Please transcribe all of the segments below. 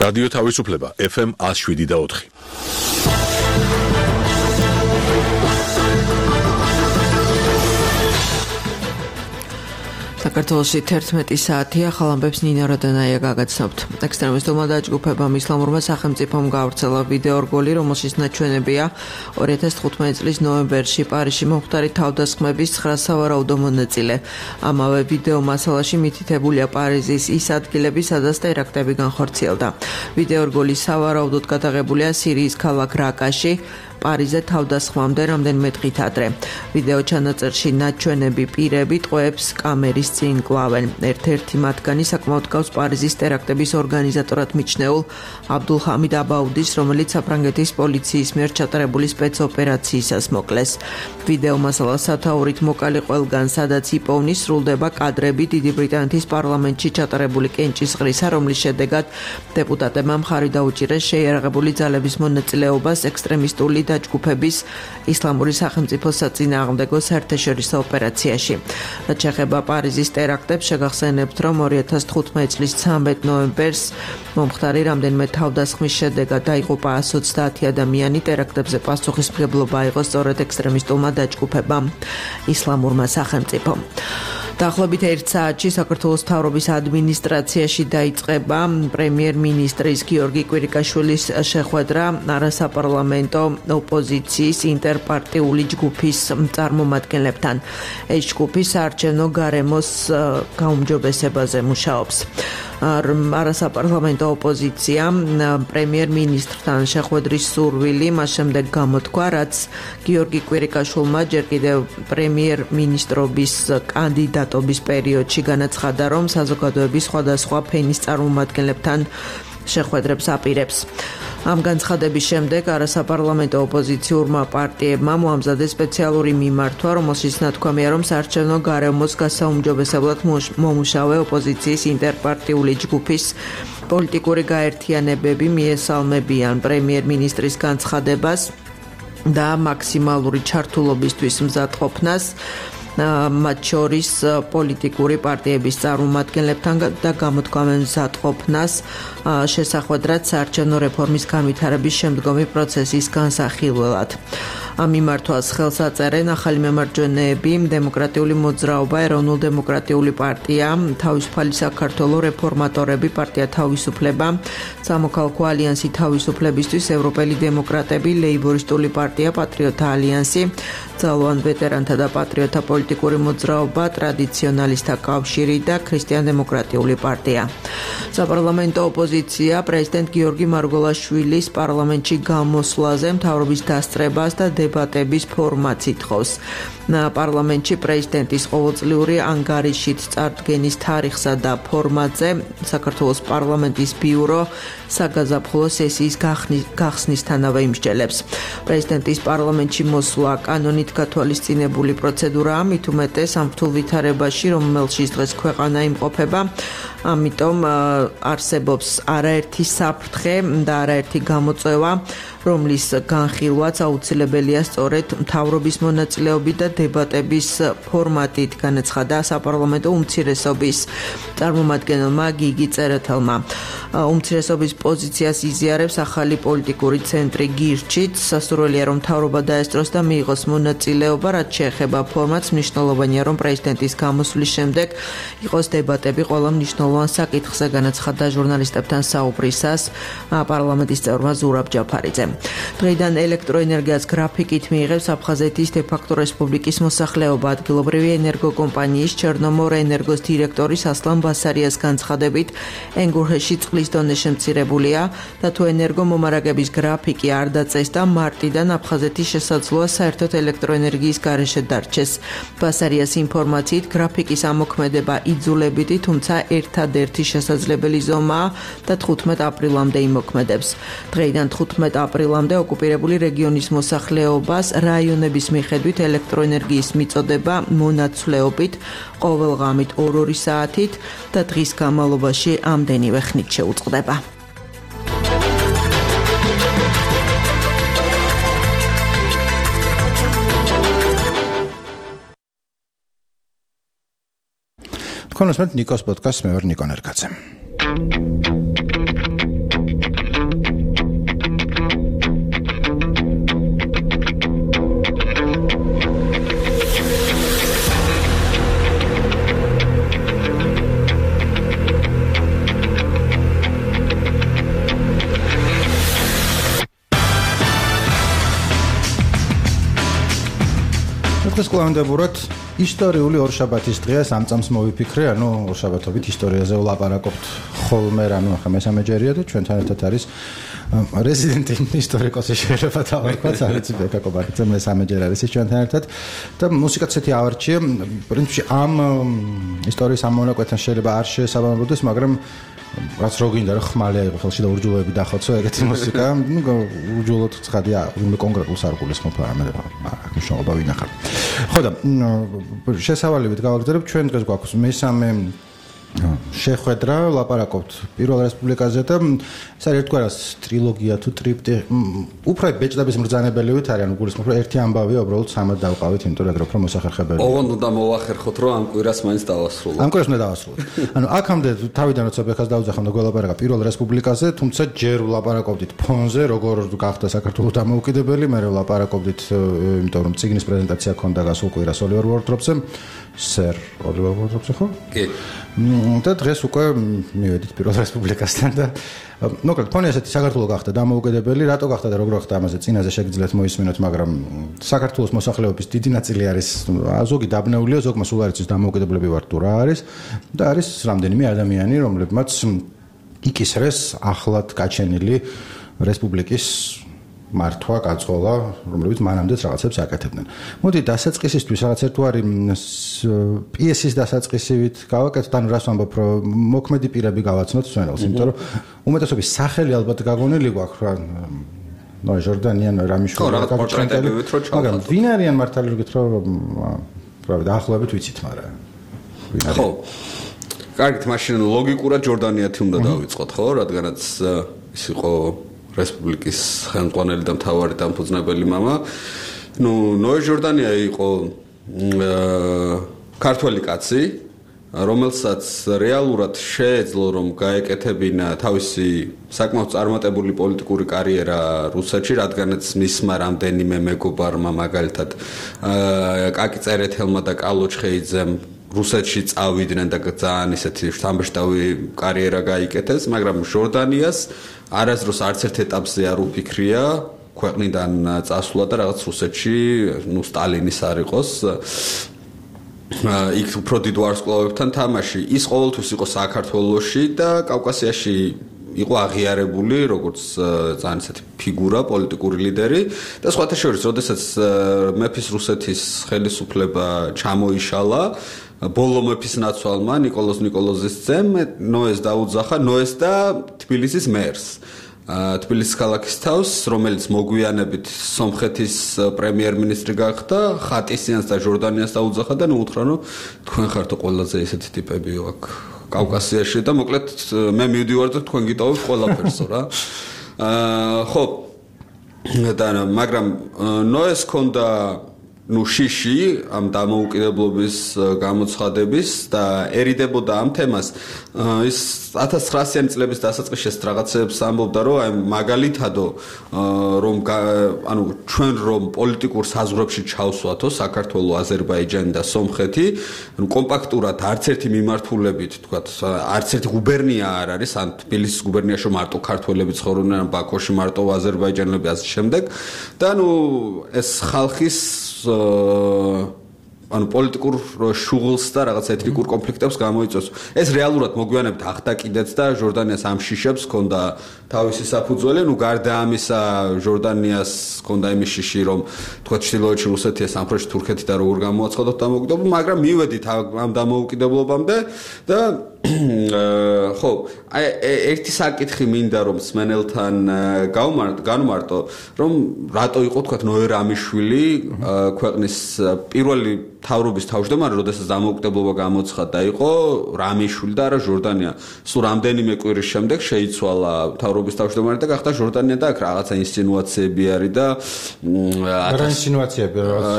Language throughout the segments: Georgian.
რადიო თავისუფლება FM 107.4. საქართველოში 11 საათია, ხალამბებს ნინა როდანაია გაგაცნობთ. ექსტრემისტულმა დაჯგუფებამ ისლამურმა სახელმწიფომ გაავრცელა ვიდეო რგოლი, რომელშიც ნაჩვენებია 2015 წლის ნოემბერში პარიზში მომხდარი თავდასხმების 9 სავარაუდო მონაწილე. ამავე ვიდეო მასალაში მითითებულია პარიზის ის ადგილები, სადაც ტერაქტები განხორციელდა. ვიდეო რგოლი სავარაუდოდ გადაღებულია სირიის ქალაქ რაკაში, პარიზზე თავდასხმამდე რამდენიმე დღით ადრე. ვიდეო ჩანაწერში ნაჩვენები პირები ტყვეებს კამერის წინ კლავენ. ერთ-ერთი მათგანი საკმაოდ გავს პარიზის ტერაქტების ორგანიზატორად მიჩნეულ აბდულჰამიდ აბაუდის, რომელიც საფრანგეთის პოლიციის მიერ ჩატარებული სპეცოპერაციისას მოკლეს. ვიდეო მასალა სათაურით მოკალი ყველგან, სადაც იპოვნის, სრულდება კადრები დიდი ბრიტანეთის პარლამენტში ჩატარებული კენჭისყრისა, რომლის შედეგად დეპუტატებმა მხარი დაუჭირეს შეიარაღებული ძალების მონაწილეობას ექსტრემისტული დაჯგუფების ისლამური სახელმწიფოს საწინააღმდეგო საერთაშორისო ოპერაციაში. რაც შეეხება პარიზის ტერაქტებს, შეგახსენებთ, რომ 2015 წლის 13 ნოემბერს მომხდარი რამდენიმე თავდასხმის შედეგად დაიღუპა 130 ადამიანი. ტერაქტებზე პასუხისმგებლობა აიღო სწორედ ექსტრემისტულმა დაჯგუფებამ ისლამურმა სახელმწიფომ. დაახლოებით 1 საათში საქართველოს მთავრობის ადმინისტრაციაში დაიწყება პრემიერ-მინისტრის გიორგი კვირიკაშვილის შეხვედრა არასაპარლამენტო ოპოზიციის ინტერპარტიული ჯგუფის წარმომადგენლებთან. ეს ჯგუფი საარჩევნო გარემოს გაუმჯობესებაზე მუშაობს. არასაპარლამენტო ოპოზიცია პრემიერ-მინისტრთან შეხვედრის სურვილი მას შემდეგ გამოთქვა, რაც გიორგი კვირიკაშვილმა ჯერ კიდევ პრემიერ-მინისტრობის კანდიდატობის პერიოდში განაცხადა, რომ საზოგადოების სხვადასხვა ფენის წარმომადგენლებთან შეხვედრებს აპირებს. ამ განცხადების შემდეგ არასაპარლამენტო ოპოზიციურმა პარტიებმა მოამზადეს სპეციალური მიმართვა, რომელშიც ნათქვამია, რომ საარჩევნო გარემოს გასაუმჯობესებლად მომუშავე ოპოზიციის ინტერპარტიული ჯგუფის პოლიტიკური გაერთიანებები მიესალმებიან პრემიერ-მინისტრის განცხადებას და მაქსიმალური ჩართულობისთვის მზადყოფნას, მათ შორის პოლიტიკური პარტიების წარმომადგენლებთან და გამოთქვამენ მზადყოფნას შესახვედრად, რაც საარჩევნო რეფორმის განვითარების შემდგომი პროცესის განსახილველად. ამ მიმართვას ხელს აწერენ ახალი მემარჯვენეები, დემოკრატიული მოძრაობა, ეროვნულ-დემოკრატიული პარტია, თავისუფალი საქართველო, რეფორმატორები, პარტია თავისუფლება, სამოქალაქო ალიანსი თავისუფლებისთვის, ევროპელი დემოკრატები, ლეიბორისტული პარტია, პატრიოტთა ალიანსი, ძალოვან ვეტერანთა და პატრიოტთა პოლიტიკური მოძრაობა, ტრადიციონალისტთა კავშირი და ქრისტიან-დემოკრატიული პარტია. საპარლამენტო ოპოზიცია პრეზიდენტ გიორგი მარგველაშვილის პარლამენტში გამოსვლაზე მთავრობის დასწრებას და დებატების ფორმატს ითხოვს. პარლამენტში პრეზიდენტის ყოველწლიური ანგარიშით წარდგენის თარიღსა და ფორმატზე საქართველოს პარლამენტის ბიურო საგაზაფხულო სესიის გახსნისთანავე იმსჯელებს. პრეზიდენტის პარლამენტში მოსვლა კანონით გათვალისწინებული პროცედურაა, მით უმეტეს ამ რთულ ვითარებაში, რომელშიც დღეს ქვეყანა იმყოფება, ამიტომ არსებობს არაერთი საფრთხე და არაერთი გამოწვევა, რომლის განხილვაც აუცილებელია სწორედ მთავრობის მონაწილეობით და დებატების ფორმატით, განაცხადა საპარლამენტო უმცირესობის წარმომადგენელმა გიგი წერეთელმა. უმცირესობის პოზიციას იზიარებს ახალი პოლიტიკური ცენტრი გირჩით. სასურველია, რომ მთავრობა დაესწროს და მიიღოს მონაწილეობა, რაც შეეხება ფორმატს, მნიშვნელოვანია, რომ პრეზიდენტის გამოსვლის შემდეგ იყოს დებატები ყველა მნიშვნელოვან საკითხზე, განაცხადა ჟურნალისტებთან საუბრისას პარლამენტის წევრმა ზურაბ ჯაფარიძემ. დღეიდან ელექტროენერგიას გრაფიკით მიიღებს აფხაზეთის დე-ფაქტო რესპუბლიკის მოსახლეობა. ადგილობრივი ენერგოკომპანიის ჩერნომორ ენერგოს დირექტორის ასლან ბასარიას განცხადებით, ენგურჰეში წყლის დონე შემცირებულია და თუ ენერგომომარაგების გრაფიკი არ დაწესდა, მარტიდან აფხაზეთის შესაძლოა საერთოდ ელექტროენერგიის გარეშე დარჩეს. ბასარიას ინფორმაციით, გრაფიკის ამოქმედება იძულებითი, თუმცა ერთადერთი შესაძლებელი ზომაა და 15 აპრილამდე იმოქმედებს. დღეიდან 15 აპრილამდე ოკუპირებული რეგიონის მოსახლეობას რაიონების მიხედვით ელექტროენერგიის მიწოდება მონაცვლეობით ყოველ ღამით 2 საათით და დღის განმავლობაში ამდენივე ხნით შეუწყდება. თქვენ უსმენთ ნიკოს პოდკასტს, მე ვარ ნიკო ნერგაძე. დაუკლავდებურად ისტორიული ორშაბათის დღეა სამწამს მოვიფიქრე, ორშაბათობით ისტორიაზე ვლაპარაკობთ ხოლმე, ახლა მესამე ჯერია და ჩვენთან ერთად არის რეზიდენტი ისტორიკოსი შეიძლება დავარქვათ, არიცი ბეკა კობაკიძე მესამე ჯერ არის ჩვენთან ერთად და მუსიკაც ესეთი ავარჩია, პრინციპში ამ ისტორიის ამ მონაკვეთთან შეიძლება არ შეესაბამებოდეს, მაგრამ რაც რო გინდა რა ხმალი აიღო ხელში და ურჯულოები დახოცო ეგეთი მუსიკა, ურჯულოდ ცხადია, ვინმე კონკრეტულ სარგულს ხმობ არამედ მნიშვნელობა ვინახარ. ხო და შესავალებით გავაგრძელებ, ჩვენ დღეს გვაქვს მესამე შეხვედრა, ლაპარაკობთ პირველ რესპუბლიკაზე და ეს არის ერთგვარად ტრილოგია თუ ტრიპტი, უფრო ბეჭდების მბრძანებელივით არის, გულისხმობ, რომ ერთი ამბავია უბრალოდ სამად დავყავით, იმიტომ რომ უფრო მოსახერხებელი. ოღონდ უნდა მოვახერხოთ, რომ ამ კვირას მაინც დავასრულოთ. ამ კვირას უნდა დავასრულოთ. აქამდე თავიდან როცა ბეხას დავუძახავ და გველაპარაკა პირველ რესპუბლიკაზე, თუმცა ჯერ ვლაპარაკობდით ფონზე, როგორ გახდა საქართველოს დამოუკიდებელი, მე ვლაპარაკობდით, იმიტომ რომ ციგნის პრეზენტაცია ქონდა გასულ კვირას ოლივერ ვორდროპზე, სერ ოლივერ ვორდროპზე ხო? კი. და დღეს უკვე მივედით პირველ რესპუბლიკასთან და მოკლედ ფონი ასეთი საქართველოს გახდა დამოუკიდებელი, რატო გახდა და როგორ გახდა ამაზე წინაზე შეგიძლიათ მოისმინოთ, მაგრამ საქართველოს მოსახლეობის დიდი ნაწილი არის ზოგი დაბნეულია, ზოგმა სულ არ იცის დამოუკიდებლები ვარ თუ რა არის და არის რამდენიმე ადამიანი, რომლებმაც იკისრეს ახლად გაჩენილი რესპუბლიკის მართვა გაწყოლა, რომლებიც მანამდეც რაღაცებს აკეთებდნენ. მოდი დასაწყისისთვის რაღაც ერთგვარი პიესის დასაწყისივით გავაკეთოთ, ანუ რას ვამბობ, რომ მოქმედი პირები გავაცნოთ სვენელს, იმიტომ რომ უმეტესობის სახელი ალბათ გაგონილი გვაქვს რა ჟორდანიან რამიშვილი მაგრამ ვინ არიან მართალი რგით რომ დაახლოებით ვიცით, მაგრამ ხო. კარგით, მაშინ ლოგიკურად ჯორდანიათი უნდა დავიწყოთ, ხო, რადგანაც ის იყო რესპუბლიკის ხელმძღვანელი და მთავარი დამფუძნებელი მამა. ნოე ჟორდანია იყო ქართველი კაცი, რომელსაც რეალურად შეეძლო რომ გაეკეთებინა თავისი საკმაოდ წარმატებული პოლიტიკური კარიერა რუსეთში, რადგანაც მისმა რამდენიმე მეგობარმა, მაგალითად კაკი წერეთელმა და კალო ჩხეიძემ რუსეთში წავიდნენ და ძალიან ისეთი სამბეშტავი კარიერა გაიკეთეს, მაგრამ ჟორდანიას არასდროს არც ერთ ეტაპზე არ უფიქრია ქვეყნიდან წასვლა და რაღაც რუსეთში, სტალინის არ იყოს, იქ უფრო დიდ ვარსკვლავებთან თამაში. ის ყოველთვის იყო საქართველოში და კავკასიაში იყო აღიარებული როგორც ძალიან ისეთი ფიგურა, პოლიტიკური ლიდერი და სხვათა შორის, როდესაც მეფის რუსეთის ხელისუფლება ჩამოიშალა, ბოლო მეფის ნაცვალმა ნიკოლოზ ნიკოლოზის ძემ ნოეს დაუძახა, ნოეს და თბილისის მერს. თბილისის ქალაქის თავს, რომელიც მოგვიანებით სომხეთის პრემიერ-მინისტრი გახდა, ხატისიანს და ჟორდანიას დაუძახა და უთხრა, რომ თქვენ ხართ ყველაზე ისეთი ტიპები აქ კავკასიაში და მოკლედ მე მივდივარ და თქვენ გიტოვებთ ყველაფერსო რა. ხო. და მაგრამ ნოეს ქონდა შიში ამ დამოუკიდებლობის გამოცხადების დაერიდებოდა ამ თემას. ის 1900-იანი წლების დასაწყისში რაღაცებს ამბობდა, რომ აი მაგალითადო რომ ანუ ჩვენ რომ პოლიტიკურ საზღვრებში ჩავსვათო საქართველო, აზერბაიჯანი და სომხეთი, ანუ კომპაქტურად არც ერთი მიმართულებით, თქვათ, არც ერთი გუბერნია არ არის, ან თბილისის გუბერნიაში მარტო ქართველები ცხოვრობენ, ან ბაქოში მარტო აზერბაიჯანელები ასე შემდეგ. და ანუ ეს ხალხის ანუ პოლიტიკურ შუღლს და რაღაც ეთნიკურ კონფლიქტებს გამოიწვევს. ეს რეალურად მოგვიანებით ახდა კიდეც და ჟორდანიას ამ შიშებს ჰქონდა თავისი საფუძველი, გარდა ამისა ჟორდანიას ჰქონდა იმის შიში, რომ თქვა ჩრდილოეთში რუსეთია, სამხრეთში თურქეთი და როგორ გამოაცხადოთ დამოუკიდებლობა, მაგრამ მივედით ამ დამოუკიდებლობამდე და ხო, აი ერთი საკითხი მინდა რომ სმენელთან განვმარტო, რომ რატო იყო თქვა ნოე რამიშვილი ქვეყნის პირველი თავრობის თავმჯდომარე, როდესაც დამოუკიდებლობა გამოცხადდა, იყო რამიშვილი და არა ჟორდანია. სულ რამდენიმე კვირის შემდეგ შეიცვალა თავრობის თავმჯდომარე და გახდა ჟორდანია და აქ რაღაცა ინსცენაციები არის და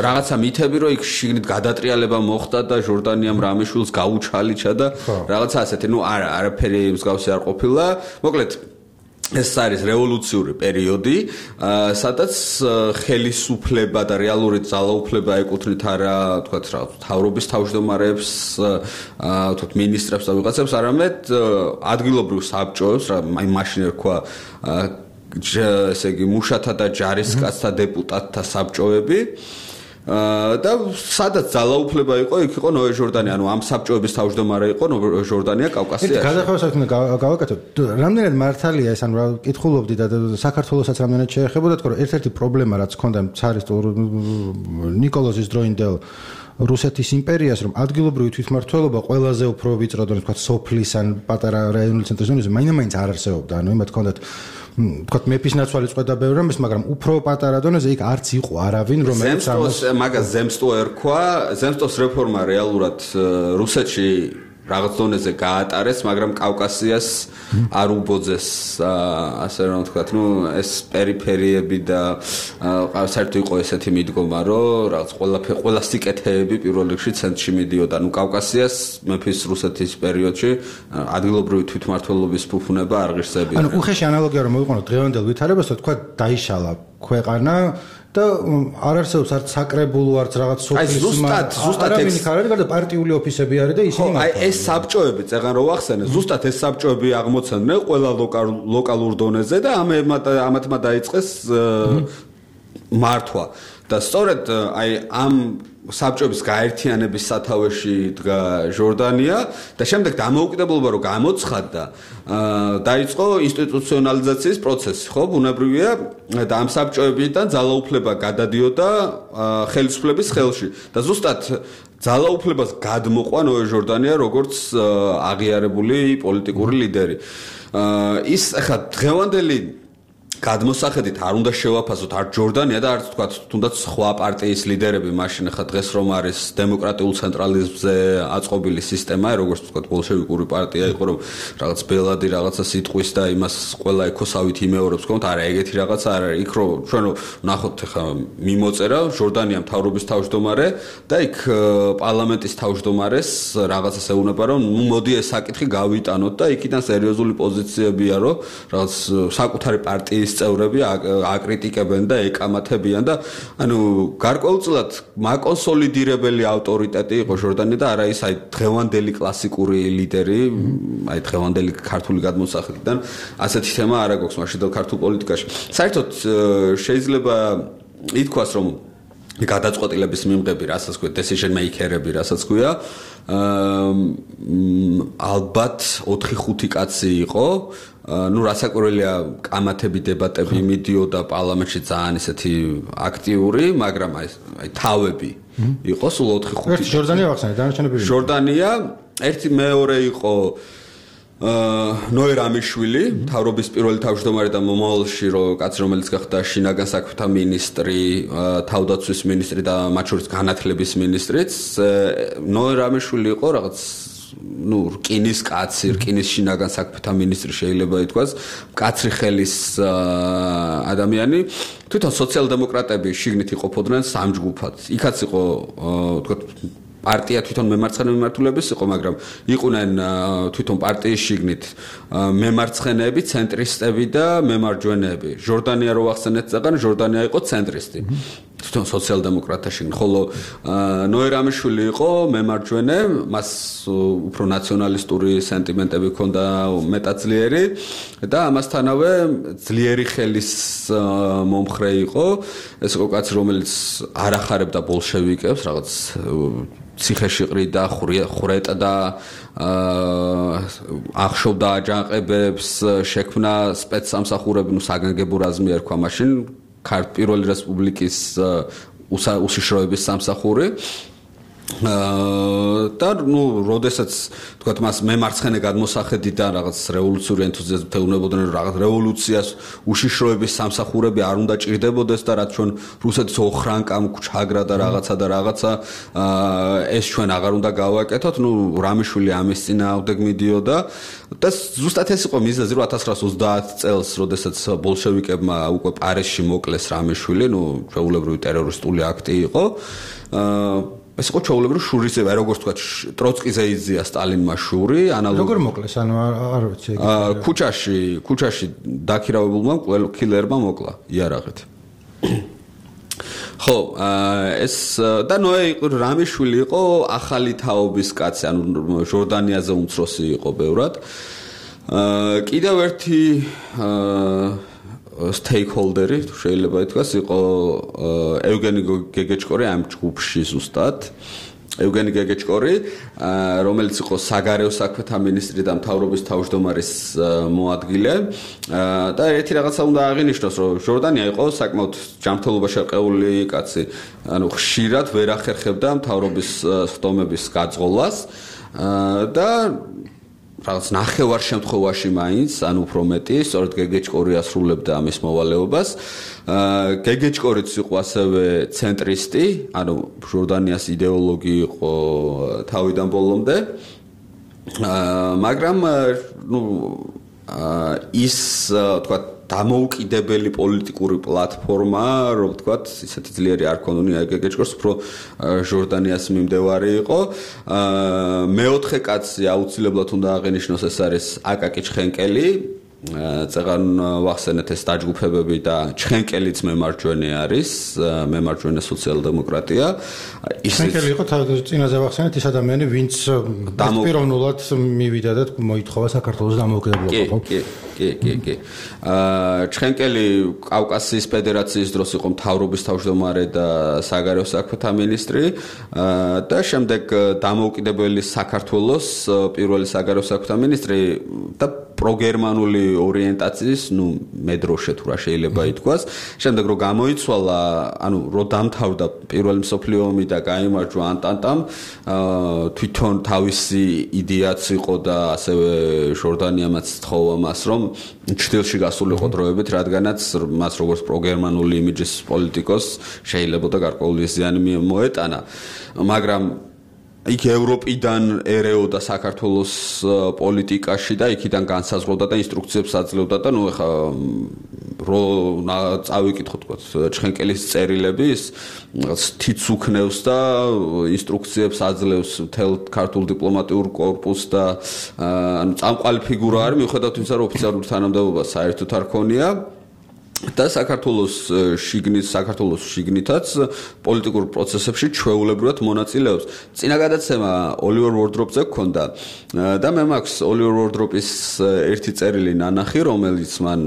რაღაცა მითები, რომ იქ შიგნით გადატრიალება მოხდა და ჟორდანიამ რამიშვილს გაუჩალიჩა და რაღაცა ასეთი, არაფერი მსგავსი არ ყოფილა. მოკლედ ეს არის რევოლუციური პერიოდი, სადაც ხელისუფლება და რეალური ძალაუფლება ეკუთვნით არა, თქვათ, თავრობის თავმჯდომარებს, თქვათ, მინისტრებს და ვიღაცებს, არამედ ადგილობრივ საბჭოებს, აი მაშინ ერქვა ესე იგი მუშათა და ჯარისკაცთა დეპუტატთა საბჭოები. და სადაც ძალაუფლება იყო, იქ იყო ნოე ჟორდანია, ანუ ამ საბჭოების თავმჯდომარე იყო ნოე ჟორდანია კავკასიაში. გადახევასაც გავაკეთოთ. რამდენად მართალია ეს, ანუ კითხულობდი და საქართველოსაც რამდენად შეეხებოდა, თქო, ერთ-ერთი პრობლემა რაც ჰქონდა цаრისტულ ნიკოლოზის დროინდელ რუსეთის იმპერიას, რომ ადგილობრივი თვითმმართველობა ყველაზე უფრო ვიწრო დონეზე, თქვა სოფლის ან პატარა რაიონული ცენტრის დონეზე მაინც არ არსებობდა. ანუ იმათ ჰქონდათ თქვა მეფის ნაცვალი წვედა ბევრი რამის, მაგრამ უფრო პატარა დონეზე იქ არც იყო არავინ, რომელიც მაგას ზემსტო ერქვა, ზემსტოს რეფორმა რეალურად რუსეთში რაღაც დონეზე გაატარეს, მაგრამ კავკასიას არ უბოძეს, ასე რომ ვთქვათ, ეს პერიფერიები და საერთოდ იყო ესეთი მიდგომა, რომ რაღაც ყველა სიკეთეები პირველ რიგში ცენტრში მიდიოდა, კავკასიას მეფის რუსეთის პერიოდში ადგილობრივი თვითმმართველობის ფუფუნება არ ღირსებია. ანუ უხეში ანალოგია რომ მოვიყენოთ დღევანდელ ვითარებას, თქვა დაიშალა ქვეყანა და არ არსებობს არც საკრებულო, არც რაღაც სოფლის ზუსტად არავინ იქ არ არის, გარდა პარტიული ოფისები არის და ისინი მართლა. ეს საბჭოები, წეგან რო ვახსენე, ზუსტად ეს საბჭოები აღმოცენდნენ ყველა ლოკალურ დონეზე და ამათმა დაიწყეს მართვა. და სწორედ ამ საბჭოების გაერთიანების სათავეში დგა ჟორდანია და შემდეგ დამოუკიდებლობა რო გამოცხადდა, დაიწყო ინსტიტუციონალიზაციის პროცესი, ხო, ბუნებრივია და ამ საბჭოებიდან ძალაუფლება გადადიოდა ხელისუფლების ხელში და ზუსტად ძალაუფლებას გადმოყვა ნოე ჟორდანია როგორც აღიარებული პოლიტიკური ლიდერი. ის ახლა დღევანდელი გადმოსახედით არ უნდა შევაფასოთ არ ჟორდანია და არც თქვა თუნდაც სხვა პარტიის ლიდერები მაშინ ახლა დღეს რომ არის დემოკრატიულ ცენტრალიზმზე აწყობილი სისტემა, როგორც თქვა ბოლშევიკური პარტია იყო, რომ რაღაც ბელადი რაღაცა სიტყვის და იმას ყველა ეკოსავით იმეორებს, თქო, არა ეგეთი რაღაცა არ არის. იქ რო ჩვენ ნახოთ ახლა მიმოწერა ჟორდანია მთავრობის თავმჯდომარე და იქ პარლამენტის თავმჯდომარეს რაღაცას ეუბნება, რომ მოდი ეს საკითხი გავიტანოთ და იქიდან სერიოზული პოზიციებია, რომ რაღაც საკუთარი პარტიის წევრები აკრიტიკებენ და ეკამათებიან და ანუ გარკვეულწილად მაკონსოლიდირებელი ავტორიტეტი იყო ჟორდანია და არა ის დღევანდელი კლასიკური ლიდერი, დღევანდელი ქართული გადმოსახედიდან ასეთი თემა არ აქვს მაშინდელ ქართულ პოლიტიკაში. საერთოდ შეიძლება ითქვას, რომ გადაწყვეტილების მიღები, რასაც ქვია decision maker-ები, რასაც ქვია, ალბათ 4-5 კაცი იყო. რასაკვირველია, კამათები, დებატები მიდიოდა პარლამენტში ძალიან ისეთი აქტიური, მაგრამ თავები იყო სულ 4-5. ჟორდანია ვახსენე, დანარჩენები. ჟორდანია, ერთი მეორე იყო ნოე რამიშვილი, მთავრობის პირველი თავმჯდომარე და მომავალში კაცი, რომელიც გახდა შინაგან საქმეთა მინისტრი, თავდაცვის მინისტრი და მათ შორის განათლების მინისტრიც. ნოე რამიშვილი იყო რაღაც რკინის კაცი, რკინის შინაგან საქმეთა მინისტრი შეიძლება ითქვას, მკაცრი ხელის ადამიანი. თვითონ სოციალ-დემოკრატები შიგნით იყოფოდნენ 3 ჯგუფად. იქაც იყო, თქვა პარტია თვითონ მემარცხენე მიმართულების იყო, მაგრამ იყვნენ თვითონ პარტიის შიგნით მემარცხენეები, ცენტრისტები და მემარჯვენეები. ჟორდანია რო ახსენეთ წეგან, ჟორდანია იყო ცენტრისტი. თვითონ სოციალ-დემოკრატთა შიგნით, ხოლო ნოე რამიშვილი იყო მემარჯვენე, მას უფრო ნაციონალისტური სენტიმენტები ჰქონდა მეტად ძლიერი და ამასთანავე ძლიერი ხელის მომხრე იყო. ეს იყო კაცი, რომელიც არ ახარებდა ბოლშევიკებს, რაღაც ციხეში ყრიდა, ხვრეტდა, ახშობდა აჯანყებებს, შექმნა სპეცსამსახურები, საგანგებო რაზმი ერქვა მაშინ პირველი რესპუბლიკის უსიშროების სამსახური. და როდესაც თქვათ მას მემარცხენე გადმოსახედიდან რაღაც რევოლუციური ენთუზიაზმით ეუბნებოდნენ, რომ რაღაც რევოლუციას უშიშროების სამსახურები არ უნდა ჭირდებოდეს და რაც ჩვენ რუსეთის ოხრანკამ ჩაგრა და რაღაცა ეს ჩვენ აღარ უნდა გავაკეთოთ. რამიშვილი ამის წინააღმდეგ მიდიოდა და ზუსტად ეს იყო მიზეზი, რომ 1930 წელს, როდესაც ბოლშევიკებმა უკვე პარიზში მოკლეს რამიშვილი, ჩვეულებრივი ტერორისტული აქტი იყო. ეს იყო ჩვეულებრივი შურისება, როგორც თქვა, ტროცკიზე იზია სტალინმა შური, როგორ მოკლეს, ანუ არ ვიცი. ქუჩაში დაქირავებულმა კილერმა მოკლა იარაღით. ხო, ეს და ნოე რამიშვილი იყო ახალი თაობის კაცი, ანუ ჟორდანიაზე უმცროსი იყო ბევრად. კიდევ ერთი stakeholder-ი, შეიძლება ითქვას, იყო ევგენი გეგეჭკორი ამ ჯგუფში ზუსტად. ევგენი გეგეჭკორი, რომელიც იყო საგარეო საქმეთა მინისტრი და მთავრობის თავმჯდომარის მოადგილე და ერთი რაღაცა უნდა აღინიშნოს, რომ ჟორდანია იყო საკმაოდ ჯანმრთელობაში ყეული კაცი, ანუ ხშირად ვერ ახერხებდა მთავრობის ხდომების გაძღოლას და რაღაც ნახევარ შემთხვევაში მაინც, ანუ უფრო მეტი, სწორედ გეგეჭკორი ასრულებდა ამის მოვალეობას. გეგეჭკორიც იყო ასევე ცენტრისტი, ანუ ჟორდანიას იდეოლოგი იყო თავიდან ბოლომდე. მაგრამ ის თქვა დამოუკიდებელი პოლიტიკური პლატფორმა, რომ ვთქვათ, ისეთი ძლიერი არ ქონია გეგეჭკორს, უფრო ჟორდანიას მიმდევარი იყო. მეოთხე კაცი აუცილებლად უნდა აღინიშნოს, ეს არის აკაკი ჩხენკელი. წეგან ვახსენეთ ეს დაჯგუფებები და ჩხენკელიც მემარჯვენე არის, მემარჯვენე სოციალ-დემოკრატია. ჩხენკელი იყო წინაზე ვახსენეთ ის ადამიანი, ვინც პიროვნულად მივიდა და მოითხოვა საქართველოს დამოუკიდებლობა. კი. ჩხენკელი კავკასიის ფედერაციის დროს იყო მთავრობის თავმჯდომარე და საგარეო საქმეთა მინისტრი და შემდეგ დამოუკიდებელი საქართველოს პირველი საგარეო საქმეთა მინისტრი და პროგერმანული ორიენტაციის, მედროშე თუ რა შეიძლება ითქვას. შემდეგ რო გამოიცვალა, ანუ რო დამთავრდა პირველი მსოფლიო ომი და გაიმარჯვა ანტანტამ, თვითონ თავისი იდეაც იყო და ასევე ჟორდანიამაც თხოვა მას, რომ ჩრდილში გასულიყო დროებით, რადგანაც მას როგორც პროგერმანული იმიჯის პოლიტიკოს შეიძლება და გარკვეული ზიანი მოეტანა. მაგრამ იქ ევროპიდან ერეოდა საქართველოს პოლიტიკაში და იქიდან განსაზღვრავდა და ინსტრუქციებს აძლევდა და ეხა რო წავიკითხოთ თქო ჩხენკელის წერილები ის თიც უქნევს და ინსტრუქციებს აძლევს მთელ ქართულ დიპლომატიურ კორპუსს და ანუ წამყვალი ფიგურა არის მიუხედავად იმისა რომ ოფიციალური თანამდებობა საერთოდ არ ქონია და საქართველოს შიგნითაც პოლიტიკურ პროცესებში ჩვეულებრივად მონაწილეობს. წინა გადაცემა ოლივერ ვორდროპზე გქონდა და მე მაქვს ოლივერ ვორდროპის ერთი წერილი ნანახი, რომელიც მან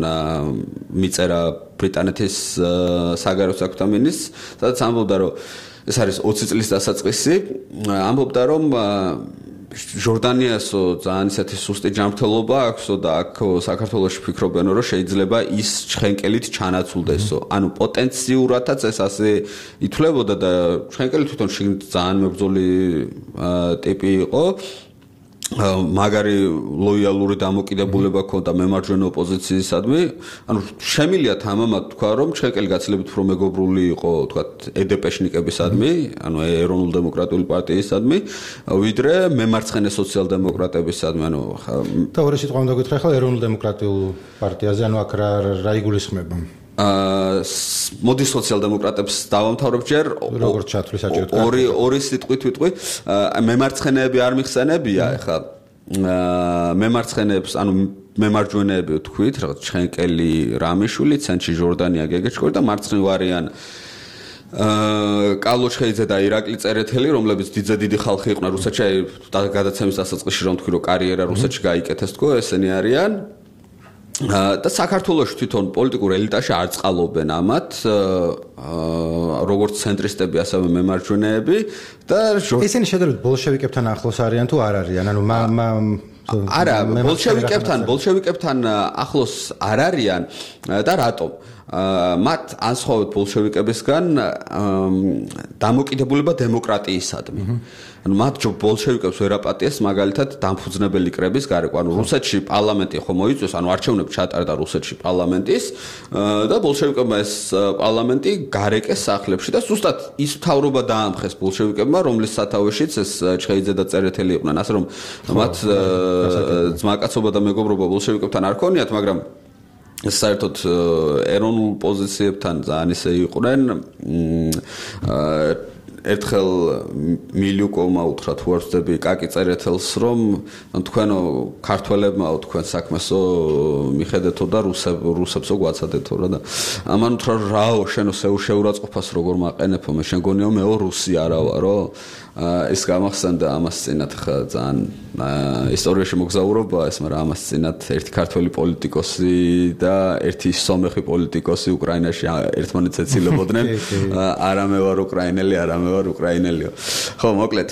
მიწერა ბრიტანეთის საგარეო საქმეთა მინისტრს, სადაც ამბობდა, რომ ეს არის 20 წლის დასაწყისი, ამბობდა, რომ ჟორდანიასო ძალიან ისეთი სუსტი ჯანმრთელობა აქვსო და აქ საქართველოში ფიქრობენო რომ შეიძლება ის ჩხენკელით ჩანაცვლდესო. ანუ პოტენციურადაც ეს ასე ითვლებოდა და ჩხენკელი თვითონ შიგნით ძალიან მებრძოლი ტიპი იყო. მაგარი ლოიალური დამოკიდებულება ჰქონდა მემარჯვენე ოპოზიციისადმი. ანუ შემილია თამამად თქვა რომ ჩხენკელი გაცილებით უფრო მეგობრული იყო თქვა ედეპეშნიკებისადმი, ანუ ეროვნულ დემოკრატიული პარტიისადმი, ვიდრე მემარცხენე სოციალ-დემოკრატებისადმი. ანუ და ორი სიტყვა უნდა გითხრა ახლა ეროვნულ დემოკრატიულ პარტიაზე, ანუ აქ რა იგულისხმება? მოდი სოციალ-დემოკრატებს დავამთავრებ ჯერ როგორც ჩათვლის საჭიროდ ორი სიტყვით ვიტყვი მემარცხენეები არ მიხსენებია ეხლა მემარცხენეებს ანუ მემარჯვენეები ვთქვით რაღაც ჩხენკელი რამიშვილი ცენტრში ჟორდანია გეგეჭკორი და მარცხნივ არიან კალოჩხეიძე და ირაკლი წერეთელი რომლებიც დიდი ხალხი იყვნენ რუსეთში გადაცემის დასაწყისში რომ თქვი რომ კარიერა რუსეთში გაიკეთეს თქო ესენი არიან და საქართველოს თვითონ პოლიტიკურ ელიტაში არ წყალობენ ამათ როგორც ცენტრისტები ასევე მემარჯვენეები და ესენი შედარებით ბოლშევიკებთან ახლოს არიან თუ არ არიან ანუ არა ბოლშევიკებთან ახლოს არ არიან და რატომ მათ ანსხოვეთ ბოლშევიკებისგან დამოკიდებულება დემოკრატიისადმი ანუ მათ ბოლშევიკებს ვერ აპატიეს მაგალითად დამფუძნებელი კრების გარეკვა ანუ რუსეთში პარლამენტი ხო მოიწვიეს ანუ არჩევნები ჩატარდა რუსეთში პარლამენტის და ბოლშევიკებმა ეს პარლამენტი გარეკეს სახლებში და ზუსტად ის მთავრობა დაამხეს ბოლშევიკებმა რომლის სათავეშიც ეს ჩხეიძე და წერეთელი იყვნენ ასე რომ მათ ძმაკაცობა და მეგობრობა ბოლშევიკებთან არ ქონიათ მაგრამ საერთოდ ეროვნულ პოზიციებთან ძალიან ისე იყვნენ ერთხელ მილიუკოვმა უთხრა თუ არ ვწდები კაკი წერეთელს რომ თქვენო ქართველებმაო თქვენ საქმესო მიხედეთო და რუსებსო გვაცადეთო რა და ამან უთხრა რაო შენო შეურაცხყოფას როგორ მაყენებო მე შენ გონიო მეო რუსი არა ვარო ეს გამახსენდა ამას წინათ ხა ძალიან ისტორიაში მოგზაურობა ეს მაგრამ ამას წინათ ერთი ქართველი პოლიტიკოსი და ერთი სომეხი პოლიტიკოსი უკრაინაში ერთმანეთს ეცილებოდნენ არა მე ვარ უკრაინელი არა მე ვარ უკრაინელიო ხო მოკლედ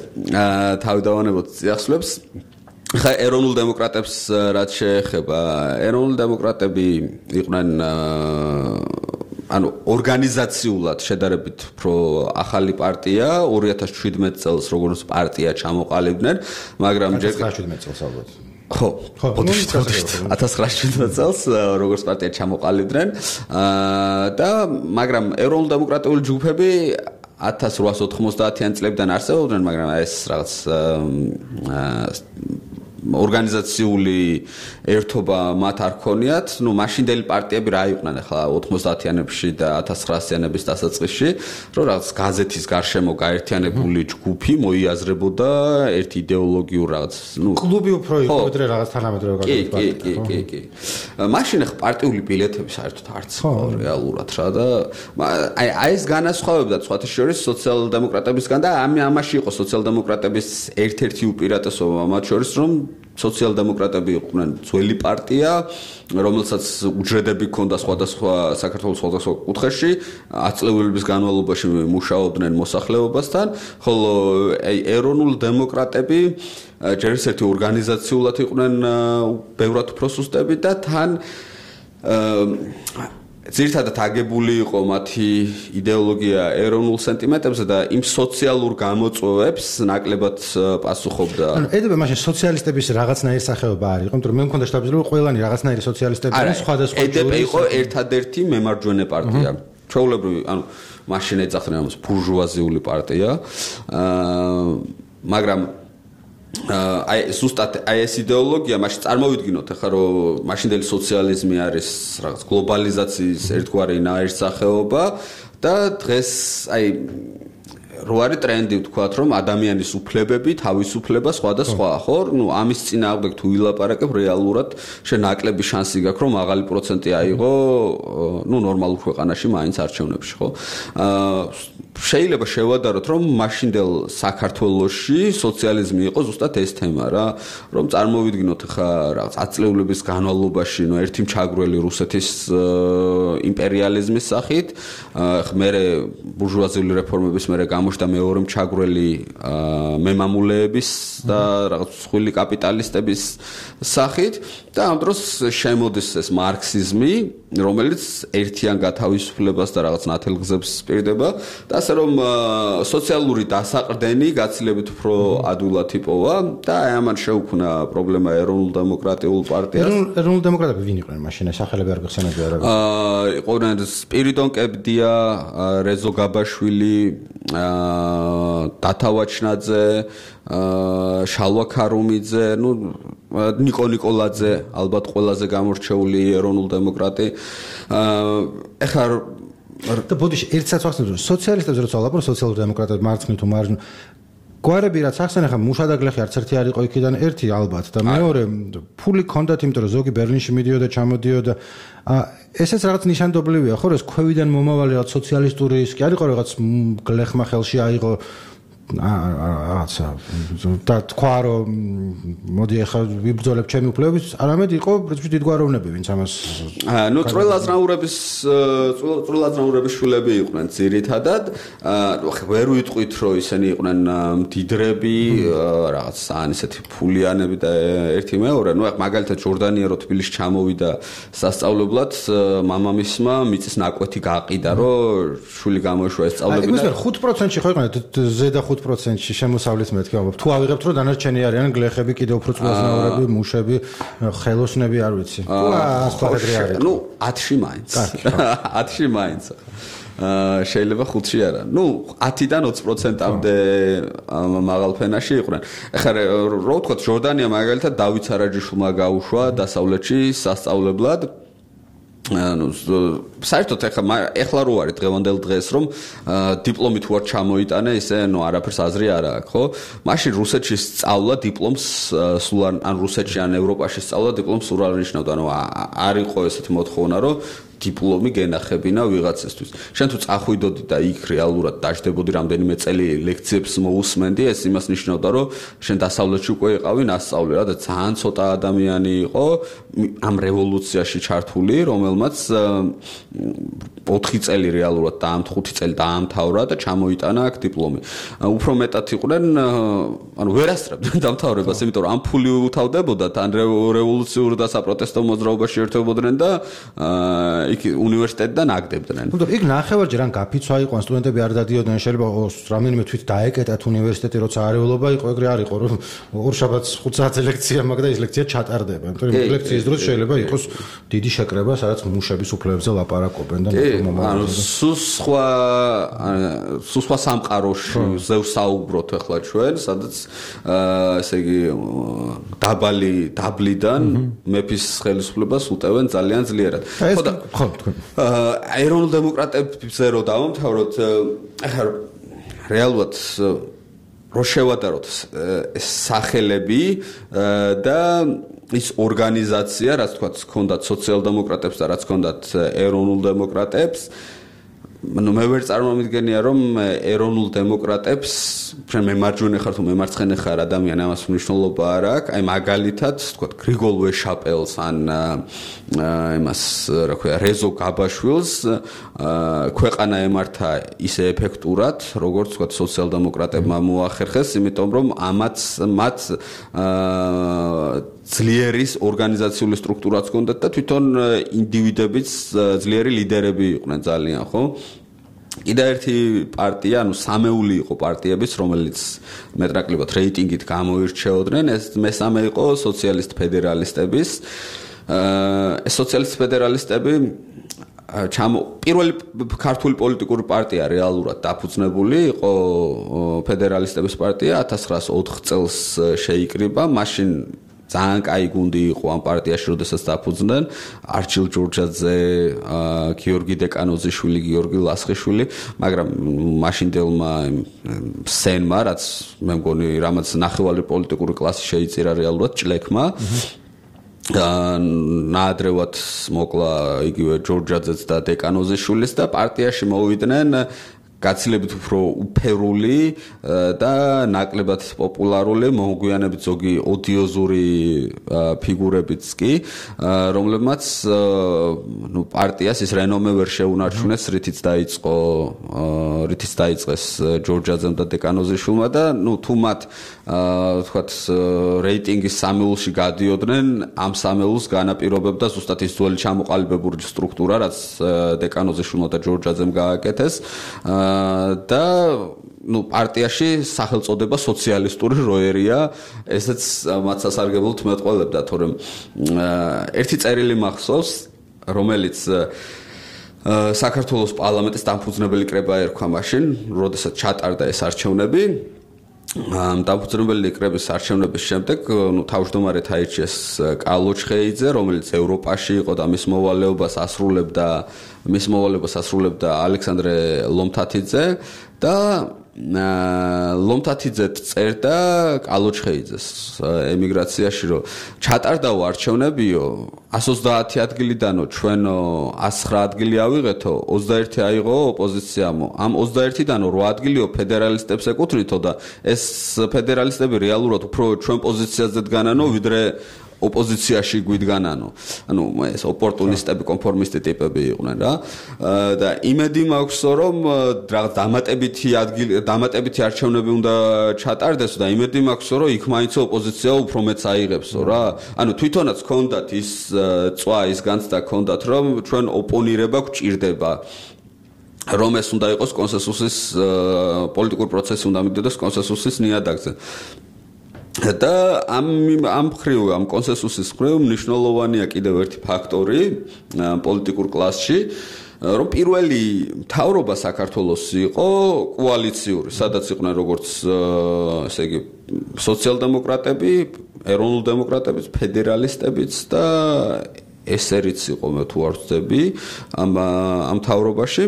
თავი დავანებოთ წიაღსვლებს ხა ეროვნულ დემოკრატებს რაც შეეხება ეროვნული დემოკრატები იყვნენ ანუ ორგანიზაციულად შედარებით უფრო ახალი პარტია 2017 წელს როგორც პარტია ჩამოყალიბდნენ მაგრამ ჯერ 1917 წელს ალბათ ხო 1917 წელს როგორც პარტია ჩამოყალიბდნენ და მაგრამ ეროვნულ დემოკრატიული ჯგუფები 1890-იან წლებიდან არსებობდნენ მაგრამ ეს რაღაც ორგანიზაციული ერთობა მათ არ ქონიათ, ნუ მაშინდელი პარტიები რა იყვნენ ახლა 90-იანებში და 1900-იანების დასაწყისში, რომ რაღაც გაზეთის გარშემო გაერთიანებული ჯგუფი მოიაზრებოდა ერთ იდეოლოგიურ რაღაც, ნუ კლუბი უფრო იყო ვიდრე რაღაც თანამედროვე გაგებით. კი. მაშინ ახლა პარტიული ბილეთები საერთოდ არც რეალურად რა და აი ეს განასხვავებდა სხვათა შორის სოციალ-დემოკრატებისგან და ამაში იყო სოციალ-დემოკრატების ერთ-ერთი უპირატესობა მათ შორის რომ სოციალ-დემოკრატები იყვნენ ძველი პარტია, რომელსაც უჯრედები ჰქონდა სხვადასხვა საქართველოს სხვადასხვა კუთხეში, 10 წლების განმავლობაში მუშაობდნენ მოსახლეობასთან, ხოლო ეროვნულ დემოკრატები ჯერ ერთი ორგანიზაციულად იყვნენ ბევრად უფრო სუსტები და თან ძირითადად აგებული იყო მათი იდეოლოგია ეროვნულ სენტიმენტებზე და იმ სოციალურ გამოწვევებს ნაკლებად პასუხობდა. ანუ ედება მაშინ სოციალისტების რაღაცნაირი სახეობა არის, იმიტომ რომ მე მქონდა შტაბილი რომ ყველანი რაღაცნაირი სოციალისტები არის სხვადასხვა ედება იყო ერთადერთი მემარჯვენე პარტია. ჩვეულებრივი, ანუ მაშინ ეძახდნენ ამას ბურჟუაზიული პარტია. მაგრამ აი ზუსტად აი ეს იდეოლოგია მაშინ წარმოვიდგინოთ ახლა რომ მაშინდელი სოციალიზმი არის რაღაც გლობალიზაციის ერთგვარი ნაირსახეობა და დღეს აი რო არის ტრენდი ვთქვათ რომ ადამიანის უფლებები, თავისუფლება სხვადასხვა ხო? ნუ ამის წინააღმდეგ თუ ვილაპარაკებ რეალურად შენ ნაკლები შანსი გაქვს რომ მაღალი პროცენტი აიღო ნუ ნორმალურ ქვეყანაში მაინც არჩევნებში ხო? შეიძლება შევადაროთ რომ მაშინდელ საქართველოში სოციალიზმი იყო ზუსტად ეს თემა რა რომ წარმოვიდგინოთ ხა რაღაც 10 წლების განმავლობაში ნუ ერთი მჩაგვრელი რუსეთის იმპერიალიზმის სახით მერე ბურჟუაზიული რეფორმების მერე გამოჩნდა მეორე მჩაგვრელი მემამულეების და რაღაც სხვილი კაპიტალისტების სახით და ამ დროს შემოდის ეს მარქსიზმი რომელიც ერთიან გათავისუფლებას და რაღაც ნათელგზებს სპირდება და ასე რომ სოციალური დასაყრდენი გაცილებით უფრო ადვილად იპოვა და აი ამან შეუქმნა პრობლემა ეროვნულ დემოკრატიულ პარტიას. ეროვნულ დემოკრატები ვინ იყვნენ მაშინ სახელები არ გახსენებია რა? იყვნენ სპირიდონ კებდია, რეზო გაბაშვილი, დათა ვაჩნაძე, შალვა ქარუმიძე, ნუ ნიკო ნიკოლაძე, ალბათ ყველაზე გამორჩეული ეროვნულ დემოკრატი. ეხლა და ბოდიში ერთსაც ვახსენებ რომ სოციალისტებზე როცა ვლაპარაკობ სოციალურ დემოკრატებს მარცხნივ თუ მარჯვნივ გვარები რაც ახსენ ახლა მუშადაგლეხი არც ერთი არ იყო იქიდან ერთი ალბათ და მეორე ფული ქონდათ იმიტომ რომ ზოგი ბერლინში მიდიოდა ჩამოდიოდა ესეც რაღაც ნიშანდობლივია ხო რომ ეს ქვევიდან მომავალი რაღაც სოციალისტური რისკი არ იყო რაღაც გლეხმა ხელში აიღო რაღაცა და თქვა რომ მოდი ახლა ვიბრძოლებ ჩემი უფლებების არამედ იყო პრინციპში დიდგვაროვნები ვინც ამას ნუ წვრილაზნაურების შვილები იყვნენ ძირითადად ვერ ვიტყვით რომ ისინი იყვნენ მდიდრები რაღაც ან ისეთი ფულიანები და ერთი მეორე ნუ მაგალითად ჟორდანია რო თბილისში ჩამოვიდა სასწავლებლად მამამისმა მიწის ნაკვეთი გაყიდა რომ შვილი გამოეშვა ეს სწავლები და 5%-ში ხო იყვნენ ზედა 5%-ში შემოსავლით მეთქი ალბათ. თუ ავიღებთ რომ დანარჩენი არიან გლეხები, კიდევ უფრო წვრილაზნაურები, მუშები, ხელოსნები არ ვიცი. ასპარეზი არის. ნუ 10-ში მაინც. 10-ში მაინც. შეიძლება 5-ში არა. ნუ 10-დან 20%-მდე მაღალ ფენაში იყვნენ. ეხლა რო ვთქვათ ჟორდანია მაგალითად დავით სარაჯიშვილმა გაუშვა დასავლეთში სასწავლებლად საერთოდ ეხლა რო არის დღევანდელ დღეს რომ დიპლომი თუ არ ჩამოიტანე ისე არაფერს აზრი არ აქვს ხო მაშინ რუსეთში სწავლა დიპლომს სულ ან რუსეთში ან ევროპაში სწავლა დიპლომს სულ არ ნიშნავდა არ იყო ესეთი მოთხოვნა რომ დიპლომი გენახებინა ვიღაცისთვის. შენ თუ წახვიდოდი და იქ რეალურად დაждდებოდი რამდენიმე წელი ლექციებს მოусმენდი, ეს იმას ნიშნავდა, რომ შენ დასავლეთში უკვე იყავი ნასწავლი რა და ძალიან ცოტა ადამიანი იყო ამ რევოლუციაში ჩართული, რომელმაც 4 წელი რეალურად და 5 წელი დაამთავრა და ჩამოიტანა აქ დიპლომი. უფრო მეტად იყვნენ, ვერასწრებდნენ დამთავრებას, იმიტომ რომ ამ ფული უთავდებოდათ, ან რევოლუციურ და საპროტესტო მოძრაობაში ერთვებოდნენ და იქ უნივერსიტეტიდან აგდებდნენ. ნუ იქ ნახევარჯერ ან გაფიცვა იყო, ან სტუდენტები არ დადიოდნენ, შეიძლება რამდენიმე თვით დაეკეტათ უნივერსიტეტი, როცა არეულობა იყო, ეგრე არ იყო, რომ ორშაბათს 5 საათზე ლექცია მაქვს და ის ლექცია ჩატარდება. იმიტომ რომ ლექციის დროს შეიძლება იყოს დიდი შეკრება, სადაც მუშების უფლებებზე ლაპარაკობენ და სხვა სამყაროში ზევსაუბროთ ახლა ჩვენ, სადაც ესე იგი დაბლიდან მეფის ხელისუფლებას უტევენ ძალიან ძლიერად. ხო თქვენ ეროვნულ დემოკრატებზე რო დავამთავროთ ახლა რეალურად რო შევადაროთ სახელები და ის ორგანიზაცია რაც თქვა ჰქონდათ სოციალ-დემოკრატებს და რაც ჰქონდათ ეროვნულ დემოკრატებს მე ვერ წარმომიდგენია რომ ეროვნულ დემოკრატებს ჩვენ მემარჯვენე ხარ თუ მემარცხენე ხარ ადამიანი ამას მნიშვნელობა არ აქვს აი მაგალითად თქვა გრიგოლ ვეშაპელს ან იმას რა ქვია რეზო გაბაშვილს ქვეყანა ემართა ისე ეფექტურად როგორც თქვა სოციალ-დემოკრატებმა მოახერხეს იმიტომ რომ მათ ძლიერის ორგანიზაციული სტრუქტურაც ჰქონდათ და თვითონ ინდივიდებიც ძლიერი ლიდერები იყვნენ ძალიან ხო კიდე ერთი პარტია, სამეული იყო პარტიების, რომელიც მეტნაკლებად რეიტინგით გამოირჩეოდნენ, ეს მესამე იყო სოციალისტ ფედერალისტების. სოციალისტ ფედერალისტები პირველი ქართული პოლიტიკური პარტია რეალურად დაფუძნებული იყო ფედერალისტების პარტია 1904 წელს შეიკრიბა, მაშინ ძალიან კაი გუნდი იყო ამ პარტიაში, როდესაც დაფუძნდნენ არჩილ ჯორჯაძე, გიორგი დეკანოზიშვილი, გიორგი ლასხიშვილი, მაგრამ მაშინდელმა სენმა, რაც მე მგონი, რამაც ნახევარი პოლიტიკური კლასი შეიწირა რეალურად ჭლექმა, ნაადრევად მოკლა იგივე ჯორჯაძეც და დეკანოზიშვილის და პარტიაში მოვიდნენ გაცილებით უფრო უფერული და ნაკლებად პოპულარული მოგვიანებით ზოგი ოდიოზური ფიგურებიც კი რომლებმაც პარტიას ის რენომე ვერ შეუნარჩუნეს რითიც დაიწყეს ჯორჯაძემ და დეკანოზიშვილმა და თუ მათ თქვათ რეიტინგის სამეულში გადიოდნენ ამ სამეულს განაპირობებდა ზუსტად ის ძველი ჩამოყალიბებული სტრუქტურა რაც დეკანოზიშვილმა და ჯორჯაძემ გააკეთეს და პარტიაში სახელწოდება სოციალისტური როერია, ესეც მათ სასარგებლოდ მეტყველებდა, თორემ ერთი წერილი მახსოვს, რომელიც საქართველოს პარლამენტის დამფუძნებელი კრება ერქვა მაშინ, როდესაც ჩატარდა ეს არჩევნები. დამფუძნებელი კრების არჩევნების შემდეგ თავმჯდომარედ აირჩიეს კალოჩხეიძე, რომელიც ევროპაში იყო და მის მოვალეობას ასრულებდა ალექსანდრე ლომთათიძე და ლომთათიძე წერდა კალოჩხეიძეს ემიგრაციაში რომ ჩატარდაო არჩევნებიო 130 ადგილიდანო ჩვენო 109 ადგილი ავიღეთო 21 აიღო ოპოზიციამო ამ 21-დანო 8 ადგილიო ფედერალისტებს ეკუთვნითო და ეს ფედერალისტები რეალურად უფრო ჩვენ პოზიციაზე დგანანო ვიდრე ოპოზიციაში გვიდგანანო. ანუ ეს ოპორტუნისტები, კონფორმისტი ტიპები იყვნენ რა. და იმედი მაქვს, რომ რაღაც დამატებითი არჩევნები უნდა ჩატარდეს და იმედი მაქვს, რომ იქ მაინც ოპოზიცია უფრო მეც აიღებსო რა. ანუ თვითონაც ჰქონდათ ის წვა, ის განცდა ჰქონდათ, რომ ჩვენ ოპონირება გვჭირდება. რომ ეს უნდა იყოს კონსენსუსის პოლიტიკური პროცესი უნდა მიდიოდეს კონსენსუსის ნიადაგზე. და ამ კონსენსუსის მხრივ მნიშვნელოვანია კიდევ ერთი ფაქტორი პოლიტიკურ კლასში, რომ პირველი მთავრობა საქართველოს იყო კოალიციური, სადაც იყვნენ როგორც ესე იგი სოციალ-დემოკრატები, ეროვნულ-დემოკრატებიც, ფედერალისტებიც და ესერიც იყო მე თუ არ ვწდები ამ თავრობაში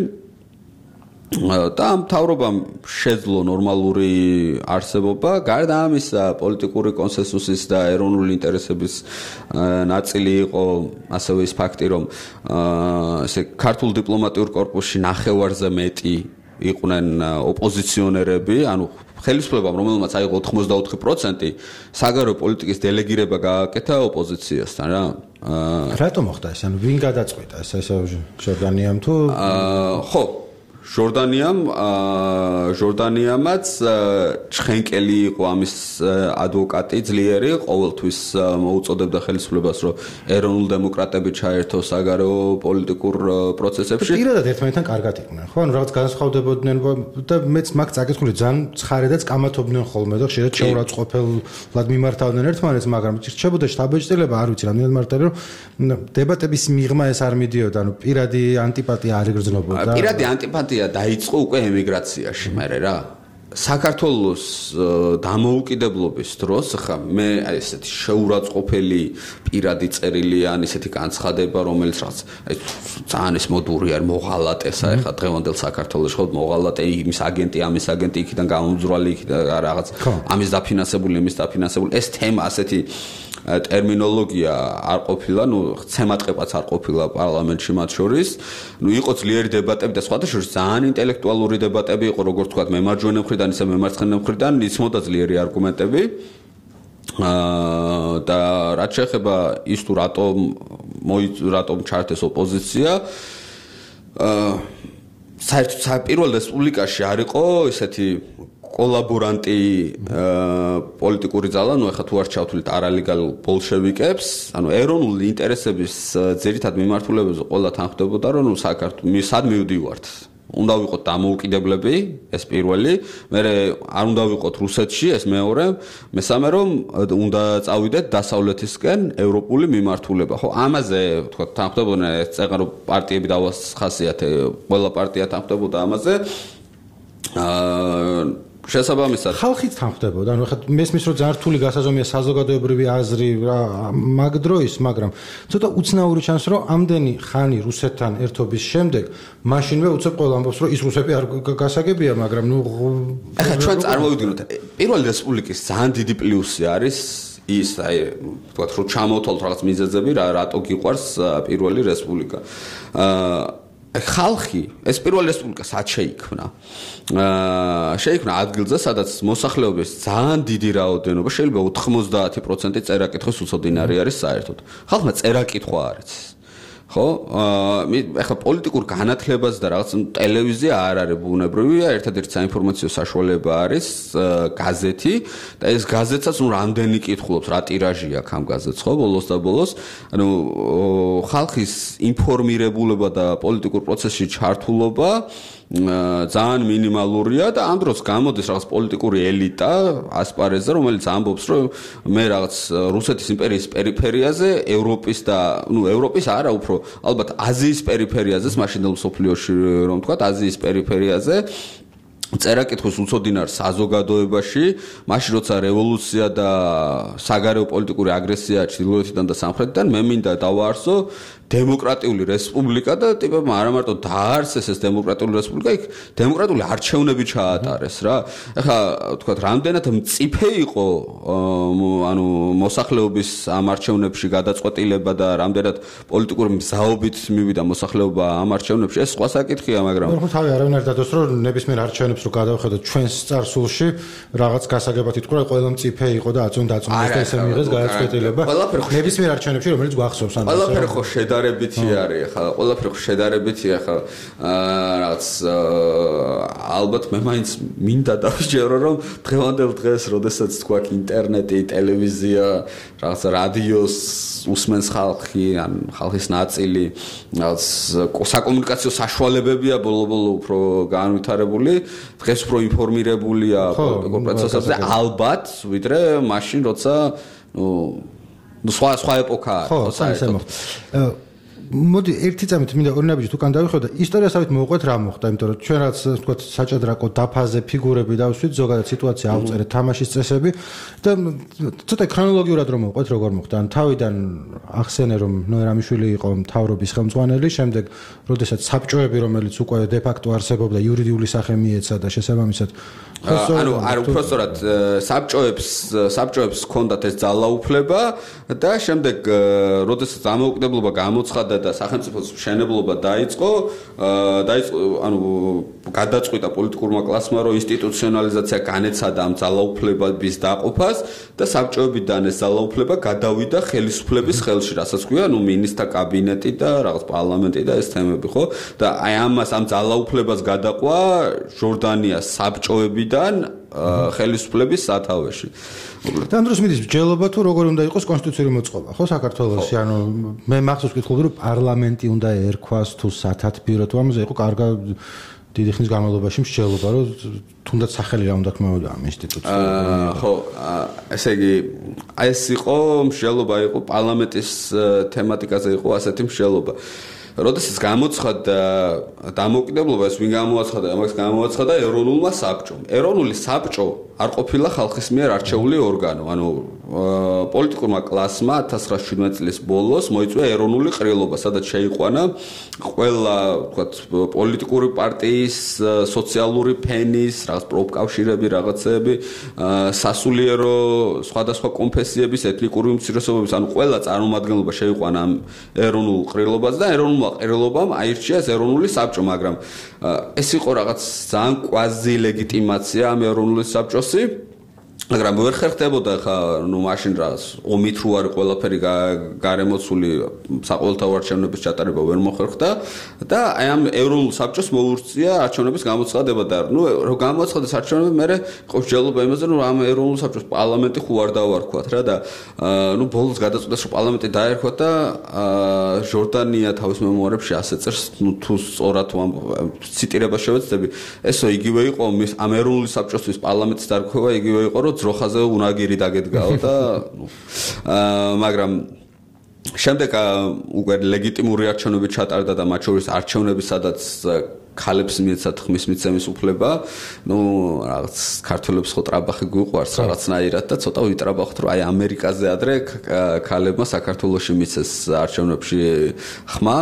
და ამ თავრობამ შეძლო ნორმალური არსებობა, გარდა ამისა პოლიტიკური კონსენსუსის და ეროვნული ინტერესების ნაწილი იყო ასევე ის ფაქტი, რომ ესე ქართულ დიპლომატიურ კორპუსში ნახევარზე მეტი იყვნენ ოპოზიციონერები, ანუ ხელისუფლებამ, რომელმაც აიღო 84%, საგარეო პოლიტიკის დელეგირება გააკეთა ოპოზიციასთან რა. რატომ მოხდა ეს? ანუ ვინ გადაწყვეტა ეს ჟორდანიამ თუ ხო ჟორდანიამაც ჩხენკელი იყო ამის ადვოკატი ძლიერი, ყოველთვის მოუწოდებდა ხელისუფლებას, რომ ეროვნულ დემოკრატები ჩაერთოს საგარეო პოლიტიკურ პროცესებში. პირადად ერთმანეთთან კარგად იყვნენ, ხო? ანუ რაღაც განსხვავდებოდნენ და მეც მაგ წაკითხული ძალიან ცხარედაც კამათობდნენ ხოლმე და ხშირად შეურაცხყოფელად მიმართავდნენ ერთმანეთს, მაგრამ რჩებოდა შტაბ-ეჭდილება, არ ვიცი, რამდენად მარტივია, რომ დებატების მიღმა ეს არ მიდიოდა, ანუ პირადი ანტიპათია არ იგრძნობოდა. პირადი ანტიპათია დაიწყო უკვე ემიგრაციაში, მერე რა. საქართველოს დამოუკიდებლობის დროს ხა მე ესეთი შეურაცხყოფელი პირადი წერილი ან ესეთი განცხადება, რომელიც რაღაც ძალიან ეს მოდური არის, მოღალატესა ხა დღევანდელ საქართველოს ხო მოღალატე იმის აგენტი, ამის აგენტი, იქიდან გამომძვრალი, იქიდან რაღაც ამის დაფინანსებული, იმის დაფინანსებული. ეს თემა ასეთი ტერმინოლოგია არ ყოფილა, ცემატყებაც არ ყოფილა პარლამენტში მათ შორის. იყო ძლიერი დებატები და სხვათა შორის ძალიან ინტელექტუალური დებატები იყო, როგორც თქვა, მემარჯვენე მხრიდან, ისე მემარცხენე მხრიდან, იცმოდა ძლიერი არგუმენტები. და რაც შეეხება ის თუ რატომ ჩართეს ოპოზიცია, საერთოდ პირველ რესპუბლიკაში არ იყო ესეთი კოლაბორანტი პოლიტიკური ძალა, ეხლა თუ არ ჩავთვლით არალეგალ ბოლშევიკებს, ანუ ეროვნული ინტერესების ძირითად მიმართულებებზე ყველა თანხმდებოდა, რომ საქართველოს სად მივდივართ. უნდა ვიყოთ დამოუკიდებლები, ეს პირველი, მერე არ უნდა ვიყოთ რუსეთში, ეს მეორე, მესამე რომ უნდა წავიდეთ დასავლეთისკენ ევროპული მიმართულება. ხო, ამაზე თქვა თანხმდებოდნენ ეს წეგა რომ პარტიები დავახასიათე, ყველა პარტია თანხმდებოდა ამაზე. შესაბამისად ხალხიც თანხმდებოდა, ანუ ხა მესმის რომ ძალიან რთული გასაზომია საზოგადოებრივი აზრი რა მაგ დროის, მაგრამ ცოტა უცნაური ჩანს რომ ამდენი ხანი რუსეთთან ერთობის შემდეგ მაშინვე უცებ ყველა ამბობს რომ ის რუსები არ გასაგებია, მაგრამ ახლა ჩვენ წარმოვიდგინოთ პირველი რესპუბლიკის ძალიან დიდი პლუსი არის ის აი თქვათ რომ ჩამოვთვალოთ რაღაც მიზეზები რატო გიყვარს პირველი რესპუბლიკა. ხალხი ეს პირველი რესპუბლიკა სად შეიქმნა? შეიქმნა ადგილზე, სადაც მოსახლეობის ძალიან დიდი რაოდენობა, შეიძლება 90% წერა-კითხვის უცოდინარი არის საერთოდ. ხალხმა წერა-კითხვა არ იცის. ხო? ეხლა პოლიტიკურ განათლებას და რაღაც ტელევიზია არ არის ბუნებრივია, ერთადერთი საინფორმაციო საშუალება არის გაზეთი და ეს გაზეთსაც რამდენი კითხულობს, რა ტირაჟი აქვს ამ გაზეთს, ხო, ბოლოს და ბოლოს. ანუ ხალხის ინფორმირებულება და პოლიტიკურ პროცესში ჩართულობა ძალიან მინიმალურია და ამ დროს გამოდის რაღაც პოლიტიკური ელიტა ასპარეზზე, რომელიც ამბობს, რომ მე რაღაც რუსეთის იმპერიის პერიფერიაზე, ევროპის და ევროპის არა, უფრო ალბათ აზიის პერიფერიაზე, მაშინდელ მსოფლიოში რომ ვთქვათ, აზიის პერიფერიაზე წერა-კითხვის უცოდინარ საზოგადოებაში, მაშინ როცა რევოლუცია და საგარეო პოლიტიკური აგრესია ჩრდილოეთიდან და სამხრეთიდან, მე მინდა დავაარსო დემოკრატიული რესპუბლიკა და ტიპებმა არა მარტო დაარსეს ეს დემოკრატიული რესპუბლიკა, იქ დემოკრატიული არჩევნები ჩაატარეს რა. ეხლა თქვათ, რამდენად მწიფე იყო ანუ მოსახლეობის ამ არჩევნებში გადაწყვეტილება და რამდენად პოლიტიკური მზაობით მივიდა მოსახლეობა ამ არჩევნებში, ეს სხვა საკითხია, მაგრამ ხო, თავი არავინ არ დადოს, რომ ნებისმიერ არჩევნებს რო გადავხედოთ ჩვენს წარსულში, რაღაც გასაგებად ითქვა, ყველა მწიფე იყო და აწონ დაწუნდეს და ესე მიიღეს გადაწყვეტილება. ნებისმიერ არჩევნებში, რომელიც გვახსოვს ან ყველაფერი ხო შედარებითი არის, ახლა ყველაფერი ხო შედარებითი, ახლა რაღაც ალბათ მე მაინც მინდა დავიჯერო, რომ დღევანდელ დღეს, როდესაც თქვა ინტერნეტი, ტელევიზია, რაღაც რადიოს უსმენს ხალხი, ან ხალხის ნაწილი, რაღაც საკომუნიკაციო საშუალებებია ბოლო-ბოლო უფრო განვითარებული, დღეს უფრო ინფორმირებულია პოლიტიკურ პროცესებზე, ალბათ, ვიდრე მაშინ, როცა სხვა ეპოქა არის, ხო, საერთოდ. მოდი ერთი წამით მინდა ორი ნაბიჯით უკან დავიხო და ისტორიასავით მოვყვეთ რა მოხდა, იმიტომ რომ ჩვენ რაც ვთქვათ საჭადრაკო დაფაზე ფიგურები დავსვით, ზოგადად სიტუაცია ავწერეთ, თამაშის წესები და ცოტა ქრონოლოგიურად რომ მოვყვეთ როგორ მოხდა. ან თავიდან ახსენე რომ ნოერამიშვილი იყო მთავრობის ხელმძღვანელი, შემდეგ როდესაც საბჭოები რომელიც უკვე დე ფაქტო არსებობდა იურიდიული სახე მიეცა და შესაბამისად ანუ არ უпростоრად საბჭოებს ჰქონდათ ეს ძალაუფლება და შემდეგ როდესაც ამოუკიდებლობა გამოცხადდა და სახელმწიფოს მშენებლობა დაიწყო ანუ გადაწყვიტა პოლიტიკურმა კლასმა რომ ინსტიტუციონალიზაცია განეცადა ამ ძალაუფლებების დაყოფას და საბჭოებიდან ეს ძალაუფლება გადავიდა ხელისუფლების ხელში, რასაც ქვია, ნუ მინისტრთა კაბინეტი და რაღაც პარლამენტი და ეს თემები, ხო? და აი ამას ამ ძალაუფლებას გადაყვა ჟორდანიას საბჭოებიდან ხელისუფლების სათავეში. და ამ დროს მიდის მსჯელობა თუ როგორ უნდა იყოს კონსტიტუციური მოწყობა, ხო, საქართველოში? ანუ მე მახსოვს ვკითხულობდი რომ პარლამენტი უნდა ერქვას თუ სათათბირო თუ ამაზე იყო კარგა დიდი ხნის განმავლობაში მსჯელობა, რომ თუნდაც სახელი რა უნდა ქნაოდა ამ ინსტიტუციას. ხო, ესე იგი, ეს იყო მსჯელობა, იყო პარლამენტის თემატიკაზე იყო ასეთი მსჯელობა. როდესაც გამოცხადდა დამოუკიდებლობა, ეს ვინ გამოაცხადა? ამას გამოაცხადა ეროვნულმა საბჭომ. ეროვნული საბჭო არ ყოფილა ხალხის მიერ არჩეული ორგანო, ანუ პოლიტიკურმა კლასმა 1917 წლის ბოლოს მოიწვია ეროვნული ყრილობა, სადაც შეიყვანა ყველა, ვთქვათ, პოლიტიკური პარტიის, სოციალური ფენის, რაღაც პროფკავშირები, რაღაცეები, სასულიერო სხვადასხვა კონფესიების, ეთნიკური უმცირესობების, ანუ ყველა წარმომადგენლობა შეიყვანა ამ ეროვნულ ყრილობას და ეროვნულმა ყრილობამ აირჩია ეს ეროვნული საბჭო, მაგრამ ეს იყო რაღაც ძალიან კვაზი ლეგიტიმაცია ამ ეროვნული საბჭოსი. მაგრამ ვერ ხერხდებოდა ხა ნუ მაშინ რაღაც ომით რო არის ყველაფერი გარემოცული საყოველთაო არჩევნების ჩატარება ვერ მოხერხდა და აი ამ ეროვნულ საბჭოს მოურწია არჩევნების გამოცხადება და ნუ რო გამოცხადდეს არჩევნები მე იყო მსჯელობა იმაზე რომ ამ ეროვნულ საბჭოს პარლამენტი ხო არ დავარქვათ რა და ნუ ბოლოს გადაწყვიტეს რომ პარლამენტი დაერქვა და ჟორდანია თავის მემუარებში ასე წერს ნუ თუ სწორად თუ ამ ციტირებას შევეცდები ესო იგივე იყო ამ ეროვნული საბჭოსთვის პარლამენტის დარქმევა იგივე იყო რომ ძროხაზე უნაგირი დაგედგაო და მაგრამ შემდეგ უკვე ლეგიტიმური არჩევნები ჩატარდა და მათ შორის არჩევნები სადაც ქალებს მიეცათ ხმის მიცემის უფლება, ნუ რაღაც ქართველებს ხო ტრაბახი გვიყვარს რაღაცნაირად და ცოტა ვიტრაბახოთ რომ აი ამერიკაზე ადრე ქალებმა საქართველოში მიცეს არჩევნებში ხმა.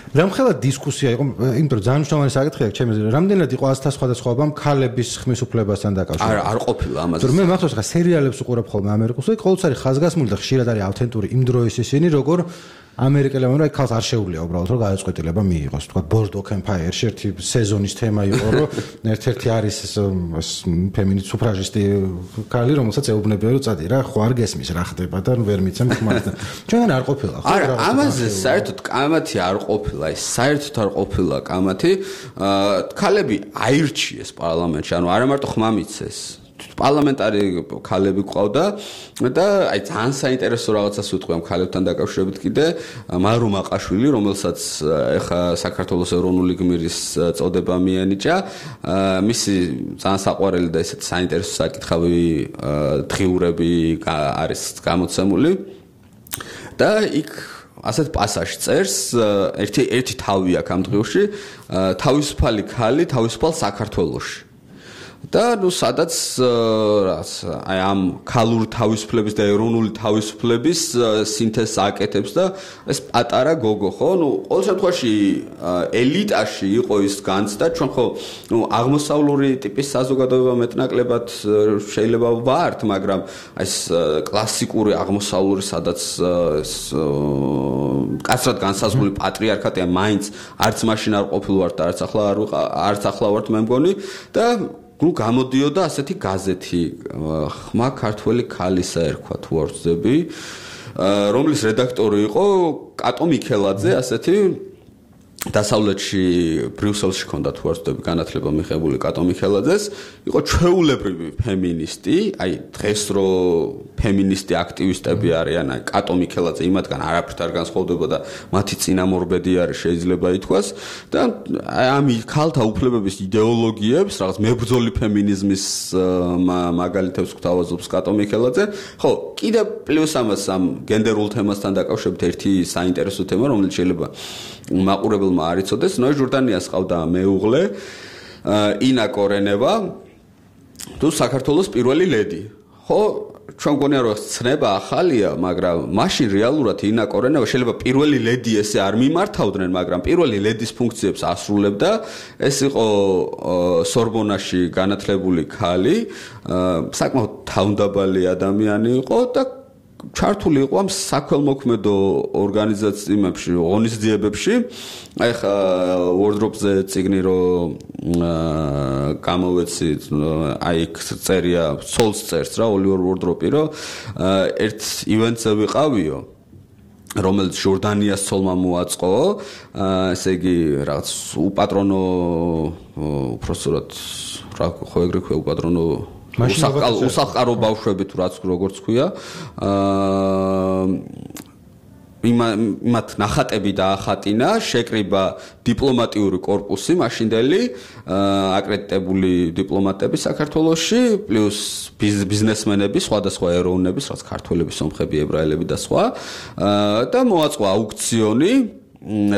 რამხელა დისკუსია იყო, იმიტომ რომ ძალიან მნიშვნელოვანი საკითხია ჩემი აზრით, რამდენად იყო ასთა სხვადასხვაობა ქალების ხმის უფლებასთან დაკავშირებით? არ ყოფილა ამაზე. მე მახსოვს ხა სერიალებს უყურებ ხოლმე ამერიკულს, ყოველთვის არის ხაზგასმული და ხშირად არის ავთენტური იმ დროის ისინი, როგორ ამერიკელებმა რა ქალს არ შეუძლია უბრალოდ რომ გადაწყვეტილება მიიღოს. თქვა ბორდოკ ემპაიერში ერთი სეზონის თემა იყო, რომ ერთ-ერთი არის ფემინისტ სუფრაჟისტი ქალი, რომელსაც ეუბნებიან რომ წადი რა, ხო არ გესმის რა ხდება და ვერ მიცემ ხმას და ჩვენგან არ ყოფილა ხო? არა, ამაზე საერთოდ კამათი არ ყოფილა, ეს საერთოდ არ ყოფილა კამათი. ქალები აირჩიეს პარლამენტში, ანუ არა მარტო ხმა მიცეს. პარლამენტარი ქალები ყავდა და აი ძალიან საინტერესო რაღაცას ვიტყვი ამ ქალებთან დაკავშირებით კიდე მარო მაყაშვილი რომელსაც ეხა საქართველოს ეროვნული გმირის წოდება მიენიჭა მისი ძალიან საყვარელი და ესეთ საინტერესო საკითხავი დღიურები არის გამოცემული და იქ ასეთ პასაჟს წერს ერთი თავი აქვს ამ დღიურში თავისუფალი ქალი თავისუფალ საქართველოში და ნუ სადაც აი ამ ქალური თავისუფლების და ეროვნული თავისუფლების სინთეზს აკეთებს და ეს პატარა გოგო ხო ნუ ყოველ შემთხვევაში ელიტაში იყო ის განცდა ჩვენ ხო ნუ აღმოსავლური ტიპის საზოგადოება მეტნაკლებად შეიძლება ვართ მაგრამ ეს კლასიკური აღმოსავლური სადაც კაცრად განსაზღვრული პატრიარქატია მაინც არც მაშინ არ ყოფილვართ და არც ახლა ვართ მე მგონი და ნუ გამოდიოდა ასეთი გაზეთი ხმა ქართველი ქალისა ერქვა თუ არ ვწდები რომლის რედაქტორი იყო კატო მიქელაძე ასეთი დასავლეთში ბრიუსელში ჰქონდა თუ არ ვცდები განათლება მიღებული კატო მიხელაძეს, იყო ჩვეულებრივი ფემინისტი, აი დღეს რო ფემინისტი აქტივისტები არიან, აი კატო მიხელაძე იმათგან არაფრით არ განსხვავდება და მათი წინამორბედი არის შეიძლება ითქვას და ამ ქალთა უფლებების იდეოლოგიებს, რაღაც მებრძოლი ფემინიზმის მაგალითებს გვთავაზობს კატო მიხელაძე. ხო, კიდე პლუს ამას ამ გენდერულ თემასთან დაკავშირებით ერთი საინტერესო თემა, რომელიც შეიძლება მაყურებელმა არ იცოდეს, ნოე ჟორდანიას ყავდა მეუღლე ინა კორენევა, თუ საქართველოს პირველი ლედი. ხო, ჩვენ გონია რომ ცნება ახალია, მაგრამ მაშინ რეალურად ინა კორენევა შეიძლება პირველი ლედი ესე არ მიმართავდნენ, მაგრამ პირველი ლედის ფუნქციებს ასრულებდა. ეს იყო სორბონაში განათლებული ქალი, საკმაოდ თავდაბალი ადამიანი იყო და ჩართული იყო ამ საქველმოქმედო ორგანიზაციებში, ღონისძიებებში. აი ხა ვორდროპზე წიგნი რო გამოვეცი, აი წერია, ცოლს წერს რა, ოლივერ ვორდროპი რო ერთ ივენტზე ვიყავიო, რომელიც ჟორდანიას ცოლმა მოაწყო, ესე იგი რაღაც უპატრონო უпроსტად რა ხო ეგრე ქვია უპატრონო უსახკარო ბავშვები თუ რაც როგორც ქვია იმათ ნახატები დაახატინა, შეკრიბა დიპლომატიური კორპუსი მაშინდელი აკრედიტებული დიპლომატები საქართველოში, პლუს ბიზნესმენები, სხვადასხვა ეროვნების, რაც ქართველები, სომხები, ებრაელები და სხვა და მოაწყო აუქციონი,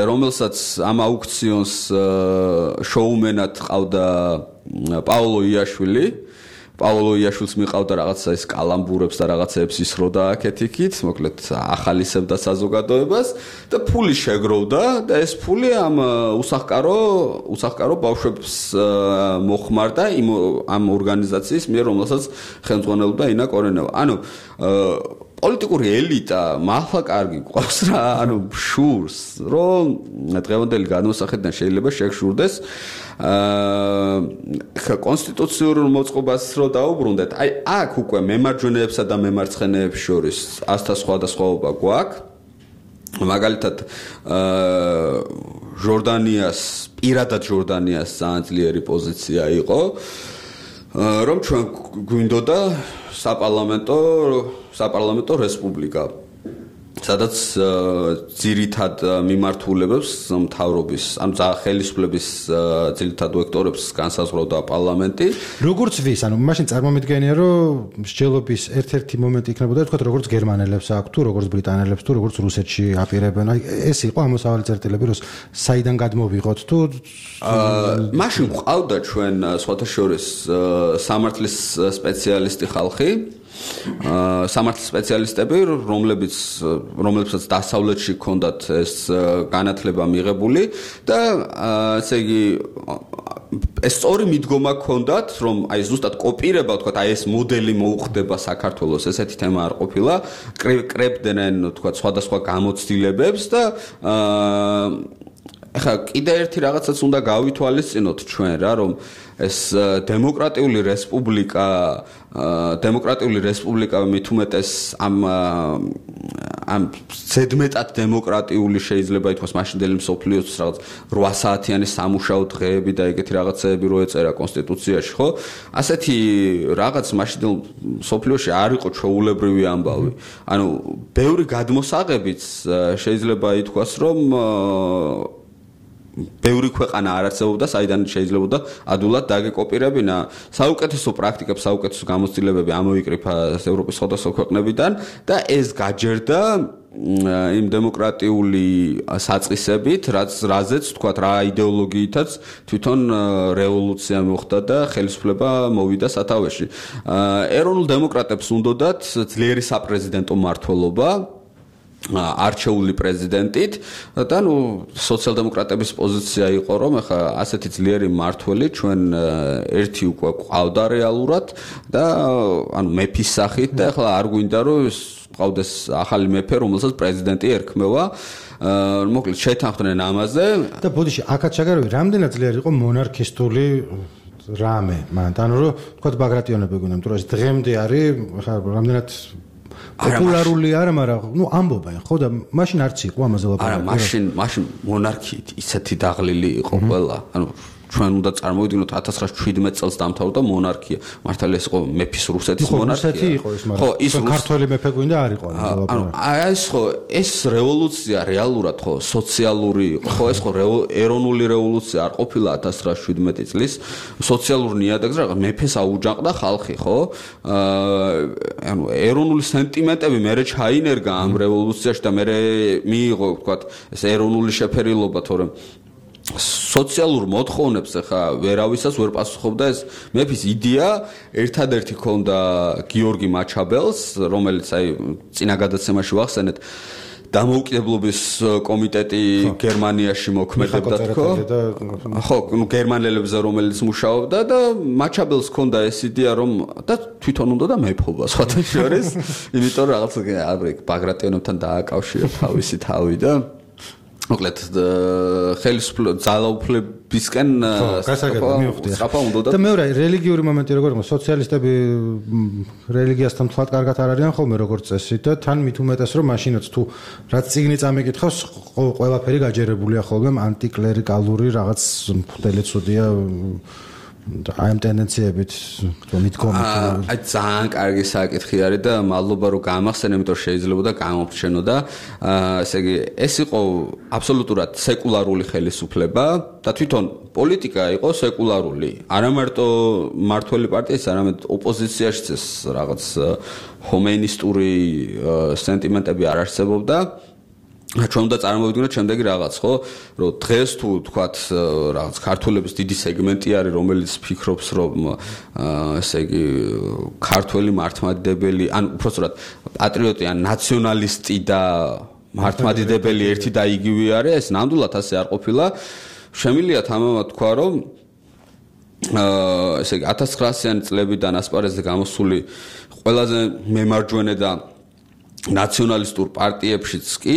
რომელსაც ამ აუქციონს შოუმენად ყავდა პაოლო იაშვილი. პაოლო იაშვილს მიყავდა რაღაცა ის კალამბურებს და რაღაცეებს ისროდა აქეთ-იქით, მოკლედ ახალისებდა საზოგადოებას და ფული შეგროვდა და ეს ფული ამ უსახკარო ბავშვებს მოხმარდა ამ ორგანიზაციის მიერ, რომელსაც ხელმძღვანელობდა ინა კორენევა. ანუ პოლიტიკური ელიტა მართლა კარგი ყავს რა, ანუ შურს, რომ დღევანდელი გადმოსახედიდან შეიძლება შეგშურდეს კონსტიტუციურ მოწყობას რო დაუბრუნდეთ. აი აქ უკვე მემარჯვენეებსა და მემარცხენეებს შორის ასთა სხვადასხვაობა გვაქვს. მაგალითად პირადად ჟორდანიას ძალიან ძლიერი პოზიცია იყო, რომ ჩვენ გვინდოდა საპარლამენტო რესპუბლიკა, სადაც ძირითად მიმართულებებს მთავრობის, ანუ ხელისუფლების ძირითად ვექტორებს განსაზღვრავდა პარლამენტი. როგორც ვის, ანუ მაშინ წარმომიდგენია, რომ მსჯელობის ერთ-ერთი მომენტი იქნებოდა, თქვა, როგორც გერმანელებს აქვს, თუ როგორც ბრიტანელებს, თუ როგორც რუსეთში აპირებენ. აი ეს იყო ამოსავალი წერტილები, რომ საიდან გადმოვიღოთ თუ მაშინ ყავდა ჩვენ სხვათა შორის სამართლის სპეციალისტი ხალხი. სამართლის სპეციალისტები, რომლებსაც დასავლეთში ჰქონდათ ეს განათლება მიღებული და ესე იგი ეს სწორი მიდგომა ჰქონდათ, რომ აი ზუსტად კოპირება, თქვა, აი ეს მოდელი მოუხდება საქართველოს, ესეთი თემა არ ყოფილა, კრებდნენ, თქვა, სხვადასხვა გამოცდილებებს და ახლა კიდე ერთი რაღაცაც უნდა გავითვალისწინოთ ჩვენ რა, რომ ეს დემოკრატიული რესპუბლიკა მით უმეტეს ამ ზედმეტად დემოკრატიული შეიძლება ითქვას მაშინდელი მსოფლიოს რაღაც 8 საათიანი სამუშაო დღეები და ეგეთი რაღაცეები რო ეწერა კონსტიტუციაში, ხო? ასეთი რაღაც მაშინდელ მსოფლიოში არ იყო ჩვეულებრივი ამბავი. ანუ ბევრი გადმოსაღებიც შეიძლება ითქვას, რომ ბევრი ქვეყანა არ არსებობდა, საიდან შეიძლებოდა ადულად დაგეკოპირებინა. საუკეთესო პრაქტიკებს, საუკეთესო გამოცდილებები ამოიკრიფა ევროპის სხვადასხვა ქვეყნებიდან და ეს გაჯერდა იმ დემოკრატიული საწყისებით, რაზეც თქვა რა იდეოლოგიითაც თვითონ რევოლუცია მოხდა და ხელისუფლება მოვიდა სათავეში. ეროვნულ დემოკრატებს უნდათ ძლიერი საპრეზიდენტო მმართველობა არჩეული პრეზიდენტით და ნუ სოციალ-დემოკრატების პოზიცია იყო, რომ ახლა ასეთი ძლიერი მმართველი ჩვენ ერთი უკვე ყავდა რეალურად და ანუ მეფის სახით და ახლა არ გვინდა რომ ყავდეს ახალი მეფე, რომელსაც პრეზიდენტი ერქმევა. მოკლედ შეთანხმდნენ ამაზე და ბოდიში აქაც შეგარები რამდენად ძლიერი იყო მონარქისტული რამე მან, ანუ რომ თქვა ბაგრატიონები გვინდა, იმიტომ რომ ეს დღემდე არის ახლა რამდენად პოპულარული არა, მაგრამ ნუ ამბობენ, ხო და მაშინ არც იყო ამაზე ლაპარაკი. არა, მაშინ მონარქიით ისეთი დაღლილი იყო ყველა. ანუ ჩვენ უნდა წარმოვიდგინოთ 1917 წელს დამთავრდა მონარქია. მართალია ეს იყო მეფის რუსეთის მონარქია. რუსეთი იყო ეს, მაგრამ ის ქართველი მეფე გვინდა არ იყო ეს ხო ეს რევოლუცია რეალურად ხო სოციალური ხო ეს ხო ეროვნული რევოლუცია არ ყოფილა 1917 წლის სოციალურ ნიადაგზე რაღაც მეფეს აუჯანყდა ხალხი ხო ანუ ეროვნული სენტიმენტები მერე ჩაინერგა ამ რევოლუციაში და მერე მიიღო ვთქვათ ეს ეროვნული შეფერილობა თორემ სოციალურ მოთხოვნებს ახლა ვერავისაც ვერ პასუხობდა ეს მეფის იდეა ერთადერთი ქონდა გიორგი მაჩაბელს რომელიც აი წინა გადაცემაში ვახსენეთ დამოუკიდებლობის კომიტეტი გერმანიაში მოქმედებდა თქო ხო ნუ გერმანელებზე რომელიც მუშაობდა და მაჩაბელს ქონდა ეს იდეა რომ და თვითონ უნდა და მეფობა სხვათა შორის იმიტომ რომ რაღაც ბაგრატიონებთან დააკავშირა თავისი თავი და მოკლედ ძალაუფლებისკენ სწრაფა უნდა და მეორე რელიგიური მომენტი როგორ იყო სოციალისტები რელიგიასთან თვალ კარგად არ არიან ხოლმე როგორც წესი და თან მით უმეტეს რომ მაშინაც თუ რაც წიგნი წამიკითხავს ყველაფერი გაჯერებულია ხოლმე ანტიკლერიკალური რაღაც მფდელი ცუდია აი ამ ტენდენციებით მიდგომით აი ძალიან კარგი საკითხი არის და მადლობა რომ გამახსენე იმიტომ შეიძლება და გამომრჩენო და ესე იგი ეს იყო აბსოლუტურად სეკულარული ხელისუფლება და თვითონ პოლიტიკა იყო სეკულარული არა მარტო მართველი პარტიის არამედ ოპოზიციაშიც ეს რაღაც ჰომეინისტური სენტიმენტები არ არსებობდა ჩვენ უნდა წარმოვიდგინოთ შემდეგი რაღაც ხო რომ დღეს თუ თქვათ რაღაც ქართველების დიდი სეგმენტი არის რომელიც ფიქრობს რომ ესე იგი ქართველი მართლმადიდებელი ან უბრალოდ პატრიოტი ან ნაციონალისტი და მართლმადიდებელი ერთი და იგივე არის ეს ნამდვილად ასე არ ყოფილა შემიძლია თამამად თქვა რომ ესე იგი 1900-იანი წლებიდან ასპარეზზე გამოსული ყველაზე მემარჯვენე და ნაციონალისტურ პარტიებშიც კი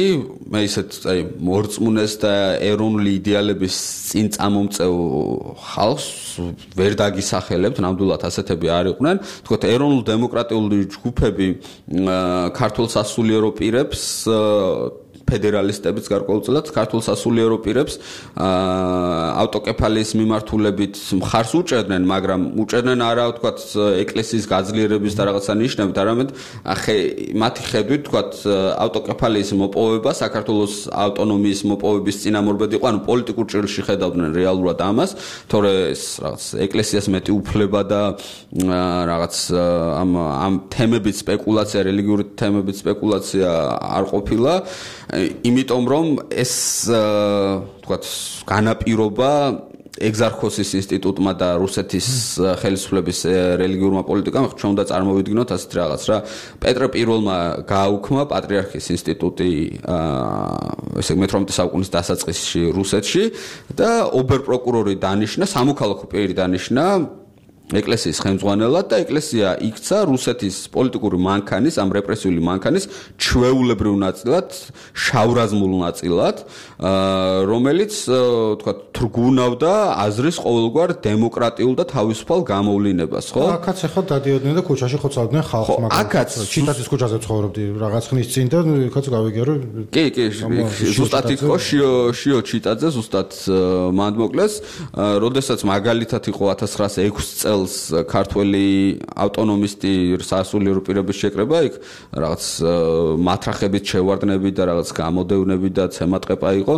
მე ისეთ აი მორწმუნეს და ეროვნული იდეალების წინ წამომწევ ხალხს ვერ დაგისახელებთ ნამდვილად ასეთები არ იყვნენ თქო ეროვნულ დემოკრატიული ჯგუფები ქართულ სასულიერო პირებს ფედერალისტებიც გარკვეულწილად ქართულ სასულიერო პირებს ავტოკეფალიის მიმართულებით მხარს უჭერდნენ, მაგრამ უჭერდნენ არა ვთქვათ ეკლესიის გაძლიერების და რაღაცა ნიშნებით, არამედ მათი ხედვით ვთქვათ ავტოკეფალიის მოპოვება საქართველოს ავტონომიის მოპოვების წინამორბედ იყო, ანუ პოლიტიკურ ჭრილში ხედავდნენ რეალურად ამას, თორე ეს რაღაც ეკლესიას მეტი უფლება და რაღაც ამ თემებით სპეკულაცია, რელიგიური თემებით სპეკულაცია არ ყოფილა იმიტომ რომ ეს თქვათ განაპირობა ეგზარქოსის ინსტიტუტმა და რუსეთის ხელისუფლების რელიგიურმა პოლიტიკამ ჩვენ უნდა წარმოვიდგინოთ ასეთ რაღაც რა პეტრე პირველმა გააუქმა პატრიარქის ინსტიტუტი ესე მე-18 საუკუნის დასაწყისში რუსეთში და ობერპროკურორი დანიშნა სამოქალაქო პირი დანიშნა ეკლესიის ხელმძღვანელად და ეკლესია იქცა რუსეთის პოლიტიკური მანქანის, ამ რეპრესიული მანქანის ჩვეულებრივ ნაწილად, შავრაზმულ ნაწილად, რომელიც, თქვა, თრგუნავდა აზრის ყოველგვარ დემოკრატიულ და თავისუფალ გამოვლინებას, ხო? აქაც ახლა დადიოდნენ და ქუჩაში ხოცავდნენ ხალხს, მაგრამ ჩიტაძის ქუჩაზე ცხოვრობდი რაღაც ხნის წინ და იქაც გავიგე რომ კი, ზუსტად იყო შიო ჩიტაძე, ზუსტად მანდ მოკლეს, როდესაც მაგალითად იყო 1906 წელს ქართველი ავტონომისტი სასულიერო პირების შეკრება იქ რაღაც მათრახებით შევარდნები და რაღაც გამოდევნები და ცემატყეპა იყო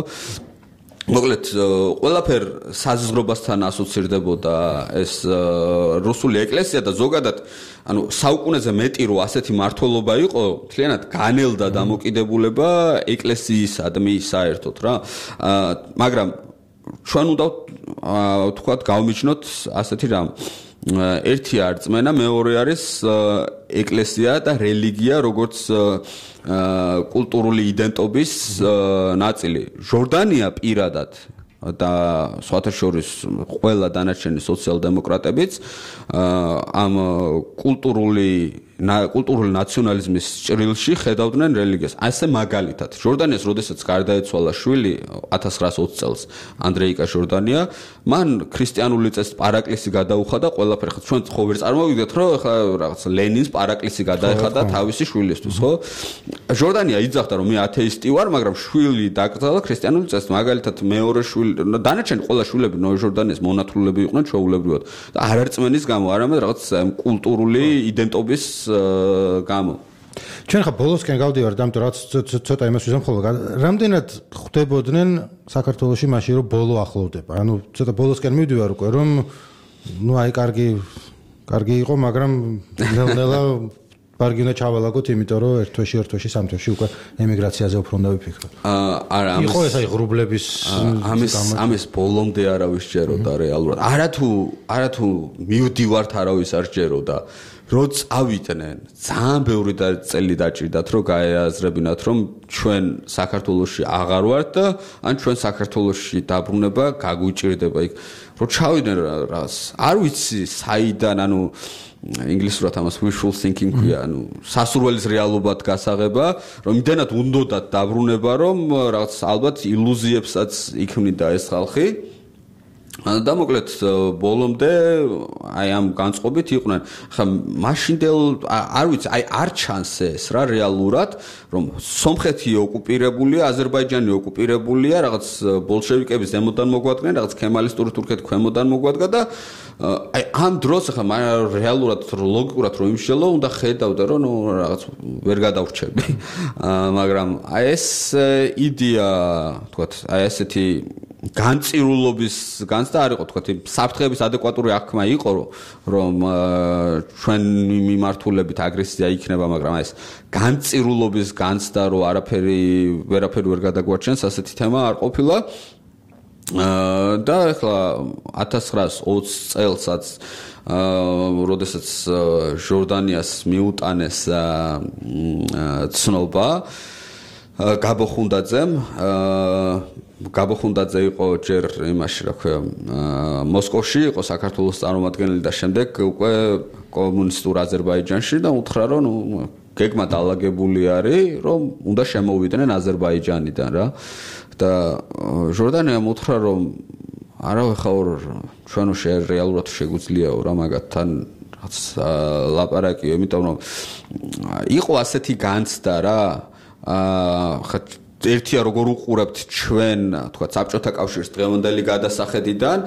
მოკლედ ყველაფერ საზღვრობასთან ასოცირდებოდა ეს რუსული ეკლესია და ზოგადად ანუ საუკუნეზე მეტი რო ასეთი მართლობა იყო მთლიანად განელდა დამოკიდებულება ეკლესიისადმი საერთოდ რა მაგრამ ჩვენ უნდა ვთქვათ გავმიჩნოთ ასეთი რამ ერთი არწმენა მეორე არის ეკლესია და რელიგია როგორც კულტურული იდენტობის ნაწილი ჟორდანია პირადად და სხვათა შორის ყველა დანარჩენი სოციალ-დემოკრატებიც ამ კულტურული კულტურული ნაციონალიზმის ჭრილში ხედავდნენ რელიგიას. ასე მაგალითად, ჟორდანიას როდესაც გარდაეცვალა შვილი 1920 წელს, ანდრეიკა ჟორდანია, მან ქრისტიანული წესით პარაკლისი გადაუხადა ყველაფერი. ხო, ჩვენ ხო ვერ წარმოვიდგეთ, რომ ხა რაღაც ლენინს პარაკლისი გადაეხადა თავისი შვილისთვის, ხო? ჟორდანია იძახდა, რომ მე ათეისტი ვარ, მაგრამ შვილი დაკრძალა ქრისტიანული წესით. მაგალითად, მეორე შვილი, დანარჩენი ყველა შვილები ჟორდანიას მონათლულები იყვნენ ჩვეულებრივად. და არ არწმენის გამო, არამედ რაღაც კულტურული იდენტობის გამო. ჩვენ ხა ბოლოსკენ გავდივართ, ამიტომ რაც ცოტა იმას ვიზამ ხოლმე. რამდენად ხვდებოდნენ საქართველოში მაშინ რომ ბოლო ახლოვდება? ანუ ცოტა ბოლოსკენ მივდივარ უკვე, რომ აი კარგი იყო, მაგრამ ნელ-ნელა ბარგი უნდა ჩავალაგოთ, იმიტომ რომ ერთ თვეში, სამ თვეში უკვე ემიგრაციაზე უფრო უნდა ვიფიქროთ. არა, იყო ეს აი ღრუბლების ამის ბოლომდე არავის ჯეროდა რეალურად. არათუ მივდივართ არავის არ ჯეროდა. როც ავიდნენ, ძალიან ბევრი წელი დაჭირდათ, რომ გაეაზრებინათ, რომ ჩვენ საქართველოში აღარ ვართ და ან ჩვენ საქართველოში დაბრუნება გაგვიჭირდება იქ. რო ჩავიდნენ რას, არ ვიცი საიდან, ანუ ინგლისურად ამას wishful thinking ქვია, ანუ სასურველის რეალობად გასაღება, რომ იმდენად უნდოდათ დაბრუნება, რომ რაღაც ალბათ ილუზიებსაც იქმნიდა ეს ხალხი. და მოკლედ ბოლომდე აი ამ განწყობით იყვნენ. ხა მაშინდელ არ ვიცი, აი არ ჩანს ეს რა რეალურად, რომ სომხეთი ოკუპირებულია, აზერბაიჯანი ოკუპირებულია, რაღაც ბოლშევიკების ზემოდან მოგვადგნენ, რაღაც ქემალისტური თურქეთი ქვემოდან მოგვადგა და აი ამ დროს ხა რეალურად ლოგიკურად რომ იმშელო, უნდა ხედავდე, რომ ნუ რაღაც ვერ გადავრჩები. მაგრამ აი ეს იდეა, თქვათ, აი ესეთი განწირულობის განცდა არ იყო, თქვათ, საფრთხების ადეკვატური აღქმა იყო, რომ ჩვენი მიმართულებით აგრესია იქნება, მაგრამ ეს განწირულობის განცდა, რომ ვერაფერი ვერ გადაგვარჩენს, ასეთი თემა არ ყოფილა. და ახლა 1920 წელსაც როდესაც ჟორდანიას მიუტანეს ცნობა გაბოხუნდაძე იყო ჯერ იმაში, რა ქვია, მოსკოვში იყო საქართველოს წარმომადგენელი და შემდეგ უკვე კომუნისტურ აზერბაიჯანში და უთხრა, რომ გეგმა დაალაგებული არის, რომ უნდა შემოვიდნენ აზერბაიჯანიდან რა. და ჟორდანიამ უთხრა, რომ არავე ხაურ ჩვენ რეალურად შეგვიძლიაო რა მაგათთან რაღაც ლაპარაკიო, იმიტომ რომ იყო ასეთი განცდა რა. ხა ერთია როგორ უყურებთ ჩვენ, თქვა, საბჭოთა კავშირის დღევანდელი გადასახედიდან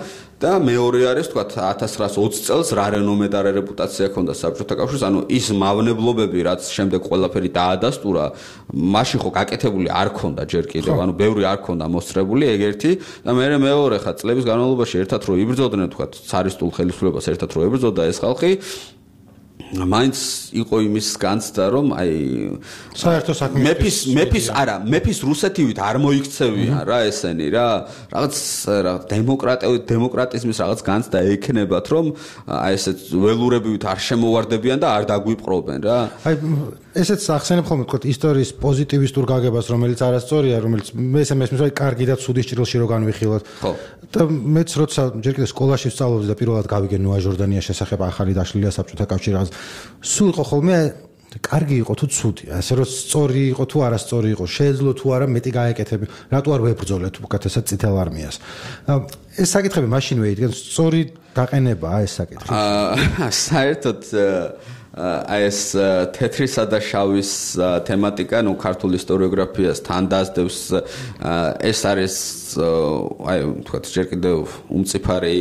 და მეორე არის, თქვა, 1920 წელს რა რენომე და რეპუტაცია ჰქონდა საბჭოთა კავშირს, ანუ ის მავნებლობები, რაც შემდეგ ყველაფერი დაადასტურა, მაშინ ხო გაკეთებული არ ჰქონდა ჯერ კიდევ, ანუ ბევრი არ ჰქონდა მოსწრებული, ეგ ერთი და მეორე ხა წლების განმავლობაში ერთად რო იბრძოდნენ, თქვა, цаრისტულ ხელისუფლებას ერთად რო ებრძოდა ეს ხალხი, მაინც იყო იმის განცდა, რომ აი საერთო საქმე მეფის რუსეთივით არ მოიქცევიან რა ესენი რა, რაღაც დემოკრატიზმის რაღაც განცდა ექნებათ, რომ აი ესეთ ველურებივით არ შემოვარდებიან და არ დაგვიპყრობენ რა. აი ესეც ახსენებ ხოლმე, თქო, ისტორიის პოზიტივისტურ გაგებას, რომელიც არასწორია, რომელიც ეს მესმის, აი კარგი და ცუდის ჭრილში რო განვიხილოთ. ხო. და მეც როცა ჯერ კიდევ სკოლაში ვსწავლობდი და პირველად გავიგე ნოა ჟორდანიას შესახებ, ახალი დაშლილია საბჭოთა კავშირი რაღაც, სულ იყო ხოლმე კარგი იყო თუ ცუდი, ასე რომ სწორი იყო თუ არასწორი იყო, შეეძლო თუ არა მეტი გაეკეთები, რატო არ ვებრძოლეთ უკეთესად წითელ არმიას. ეს საკითხები მაშინვე იდგენ, სწორი დაყენებაა ეს საკითხი. საერთოდ აი ეს თეთრისა და შავის თემატიკა, ნუ ქართულ ისტორიოგრაფიას თან დაასდევს, ეს არის აი თქვათ ჯერ კიდევ უმწიფარი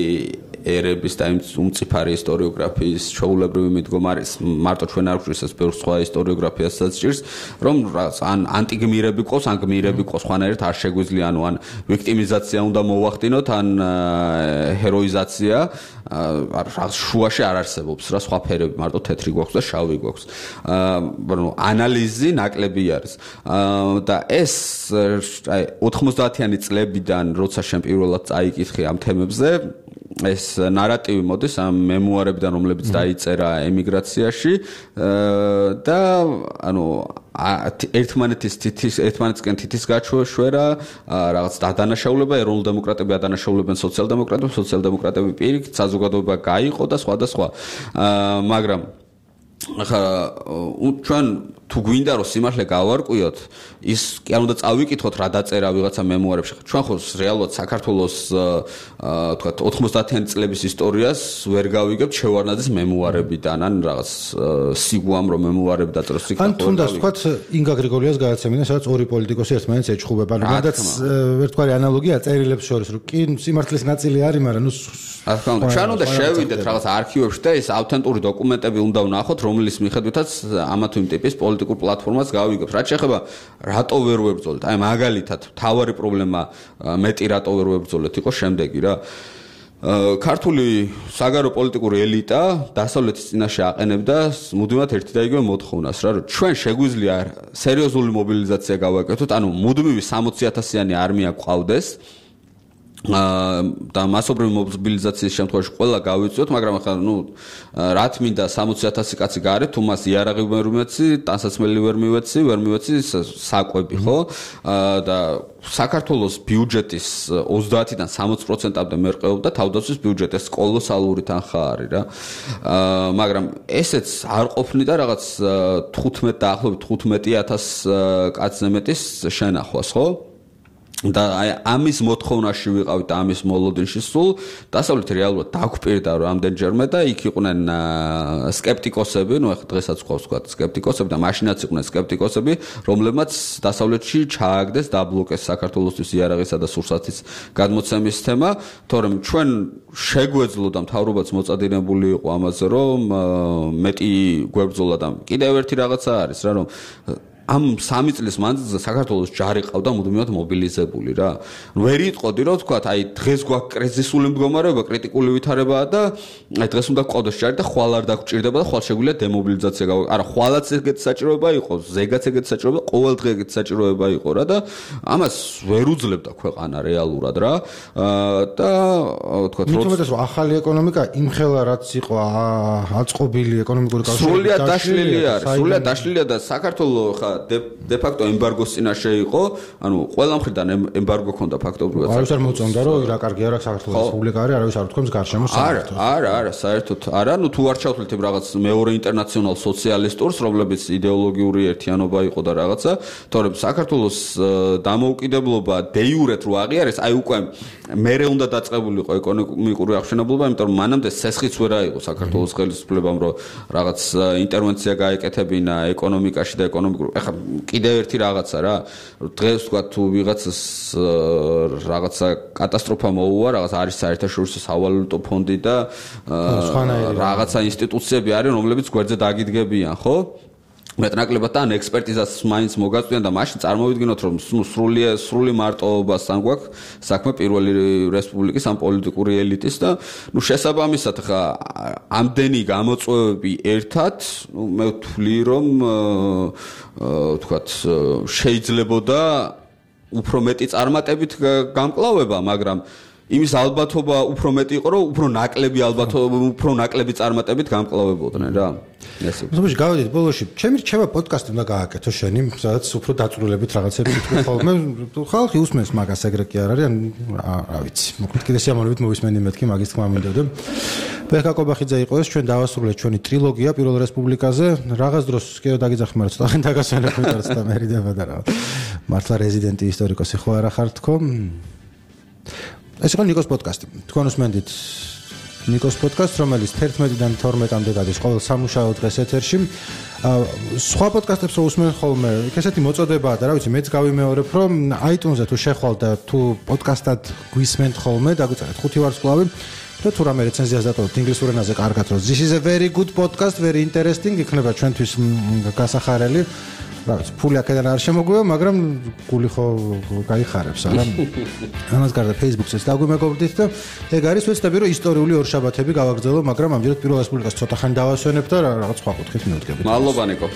ერების და უმწიფარი ისტორიოგრაფიის ჩვეულებრივი მიდგომა არის, მარტო ჩვენ არ გვჭირს ეს ბევრ სხვა ისტორიოგრაფიასაც ჭირს, რომ ან ანტიგმირები ყოს, ან გმირები ყოს, ხვანაერთ არ შეგვიძლია, ანუ ან ვიქტიმიზაცია უნდა მოვახდინოთ, ან ჰეროიზაცია, რაღაც შუაში არ არსებობს რა, სხვა ფერები, მარტო თეთრი გვაქვს და შავი გვაქვს. ანალიზი ნაკლები არის. და ეს აი 90-იანი წლებიდან, როცა შენ პირველად წაიკითხე ამ თემებზე, ეს ნარატივი მოდის ამ მემუარებიდან, რომლებიც დაიწერა ემიგრაციაში და ანუ ერთმანეთისკენ თითის გაჩვეშვრა, რაღაც დადანაშაულება, ეროვნულ დემოკრატები ადანაშაულებენ სოციალ-დემოკრატებს, სოციალ-დემოკრატები პირიქით საზოგადოება გაიყო და სხვა და სხვა. მაგრამ ახლა ჩვენ თუ გვინდა რომ სიმართლე გავარკვიოთ, ის კი არ უნდა წავიკითხოთ რა დაწერა ვიღაცა მემუარებში. ჩვენ ხო რეალურად საქართველოს თქვა 90-იანი წლების ისტორიას ვერ გავიგებთ შევარნაძის მემუარებიდან, ან რაღაც სიგუამ რომ მემუარები დაწეროს იქ. ან თუნდაც თქვა ინგა გრიგოლიას გადაცემიდან, სადაც ორი პოლიტიკოსი ერთმანეთს ეჩხუბება. რადგანაც ერთგვარი ანალოგია წერილებს შორის, რომ კი სიმართლის ნაწილი არის, მაგრამ ნუ რა თქმა უნდა, ჩვენ უნდა შევიდეთ რაღაც არქივებში და ეს ავთენტური დოკუმენტები უნდა ვნახოთ, რომლის მიხედვითაც ამა თუ იმ ტიპის პოლიტიკურ პლატფორმას გავიგებთ. რაც შეეხება რატო ვერ ვებრძოლეთ? აი მაგალითად, თავარი პრობლემა მეტი რატო ვერ ვებრძოლეთ იყო შემდეგი რა. ქართული საგარეო პოლიტიკური ელიტა დასავლეთის წინაშე აყენებდა მუდმივად ერთი და იგივე მოთხოვნას რა, რომ ჩვენ შეგვიძლია სერიოზული მობილიზაცია გავაკეთოთ, ანუ მუდმივი 60,000-იანი არმია გვყავდეს და მასობრივი მობილიზაციის შემთხვევაში ყველა გავიწვიოთ, მაგრამ ახლა რა თმინდა 60,000 კაცი გარეთ, თუ მას იარაღი ვერ მივეცი, ტანსაცმელი ვერ მივეცი საკვები, ხო? და საქართველოს ბიუჯეტის 30-დან 60%-მდე მერყეობდა თავდაცვის ბიუჯეტი, ეს კოლოსალური თანხა არის რა. მაგრამ ესეც არ ყოფნი და რაღაც 15 დაახლოებით 15,000 კაცზე მეტის შენახვას, ხო? და აი ამის მოთხოვნაში ვიყავით და ამის მოლოდინში სულ დასავლეთი რეალურად დაგვპირდა რამდენჯერმე და იქ იყვნენ სკეპტიკოსები, ახლა დღესაც ყავს თქვა სკეპტიკოსები და მაშინაც იყვნენ სკეპტიკოსები, რომლებმაც დასავლეთში ჩააგდეს დაბლოკეს საქართველოსთვის იარაღისა და სურსათის გადმოცემის თემა, თორემ ჩვენ შეგვეძლო და მთავრობაც მოწადინებული იყო ამაზე, რომ მეტი გვებრძოლა და კიდევ ერთი რაღაცა არის რა, რომ ამ 3 წლის მანძილზე საქართველოს ჯარი ყავდა მუდმივად მობილიზებული რა. ვერ იტყოდი რომ თქვა, აი დღეს გვაქვს კრიზისული მდგომარეობა, კრიტიკული ვითარებაა და აი დღეს უნდა გყოდოს ჯარი და ხვალ არ დაგვჭირდება და ხვალ შეგვიძლია დემობილიზაცია გავაკეთოთ. არა, ხვალაც ეგეთი საჭიროება იყო, ზეგაც ეგეთი საჭიროება, ყოველ დღე ეგეთი საჭიროება იყო რა და ამას ვერ უძლებდა ქვეყანა რეალურად რა. და თქვა რომ ახალი ეკონომიკა იმხელა რაც იყო აწყობილი ეკონომიკური კავშირი სრულიად დაშლილი არის, სრულიად დაშლილია და საქართველოს ხა დე-ფაქტო ემბარგოს წინაშე იყო, ანუ ყველა მხრიდან ემბარგო ქონდა ფაქტობრივად. არავის არ მოწონდა რომ რა კარგი არა საქართველოს რესპუბლიკა არის, არავის არ უთქვამს გარშემო საერთოდ. არა, საერთოდ არა, ნუ თუ არ ჩავთვლით რაღაც მეორე ინტერნაციონალ სოციალისტურს, რომლებიც იდეოლოგიური ერთიანობა იყო და რაღაცა, თორემ საქართველოს დამოუკიდებლობა დე-იურეთ რო აღიარეს, აი უკვე მერე უნდა დაწყებულიყო ეკონომიკური აღშენებლობა, იმიტომ რომ მანამდე სესხიც ვერ აიღო საქართველოს ხელისუფლებამ რომ რაღაც ინტერვენცია გაეკეთებინა ეკონომიკაში და ეკონომიკურ ახლა კიდევ ერთი რაღაცა რა, დღეს თქვა თუ ვიღაცას რაღაცა კატასტროფა მოუვა, რაღაც არის საერთაშორისო სავალუტო ფონდი და რაღაცა ინსტიტუციები არის, რომლებიც გვერდზე დაგიდგებიან, ხო? მეტნაკლებად და ან ექსპერტიზას მაინც მოგაწვიან და მაშინ წარმოვიდგინოთ რომ სრული მარტოობასთან გვაქვს საქმე პირველი რესპუბლიკის ამ პოლიტიკური ელიტის და შესაბამისად ხა ამდენი გამოწვევები ერთად მე ვთვლი რომ თქვათ შეიძლებოდა უფრო მეტი წარმატებით გამკლავება, მაგრამ იმის ალბათობა უფრო მეტი იყო, რომ უფრო ნაკლები წარმატებით გამკლავებოდნენ რა. მოსმოში გავედით ბოლოში, ჩემი რჩევა პოდკასტი უნდა გააკეთო შენი, სადაც უფრო დაწვრილებით რაღაცები თქვი ხოლმე. ხალხი უსმენს მაგას ეგრე კი არ არის, რა ვიცი. მოკლედ კიდე სიამოვნებით მოვისმენდი მეთქი მაგის თქმა მინდოდა. ბექა კობახიძე იყო ეს, ჩვენ დავასრულეთ ჩვენი ტრილოგია პირველ რესპუბლიკაზე. რაღაც დროს კიდევ დაგიძახმაროთ, ცოტა ხანი დაგასვენებთ და მერიდება და რა. მართლა რეზიდენტი ისტორიკოსი ხო არა ხარ თქო? ეს იყო ნიკოს პოდკასტი. თქვენ უსმენდით ნიკოს პოდკასტს, რომელიც 11-დან 12-მდე გადის ყოველ სამუშაო დღეს ეთერში. სხვა პოდკასტებს რო უსმენთ ხოლმე, ესეთი მოწოდებაა და რა ვიცი, მეც გავიმეორებ, რომ iTunes-ზე თუ შეხვალთ და თუ პოდკასტად გვისმენთ ხოლმე, დაგვიწერეთ 5 ვარსკვლავი და თუ რამე რეცენზიას დატოვოთ ინგლისურ ენაზე კარგად, რომ this is a very good podcast, very interesting, იქნება ჩვენთვის გასახარელი. რა ვიცი, ფული აქედან არ შემოგვივა, მაგრამ გული ხო გაიხარებს, არა? ამას გარდა Facebook-საც დაგვიმეგობრდით და ეგ არის ვეცდები რომ ისტორიული ორშაბათები გავაგრძელო, მაგრამ ამჯერად პირველ რესპუბლიკას ცოტა ხანი დავასვენებ და რაღაც სხვა კუთხით მივდგებით. მადლობა ნიკო.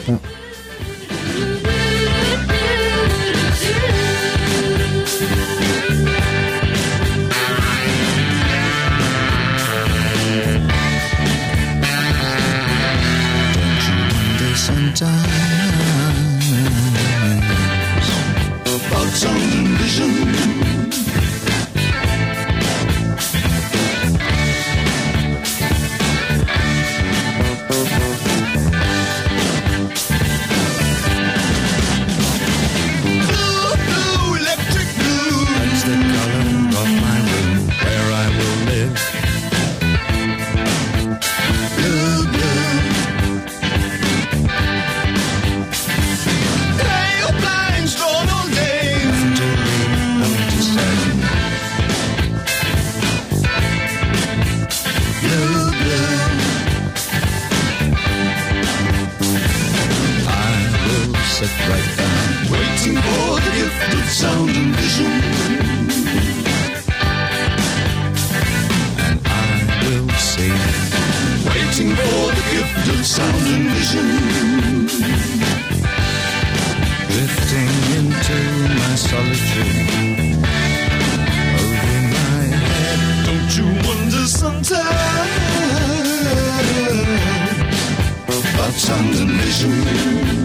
Some vision. sit right down, waiting for the gift of sound and vision. And I will sing, waiting for the gift of sound and vision. Drifting into my solitude, over my head. Don't you wonder sometimes about sound and vision?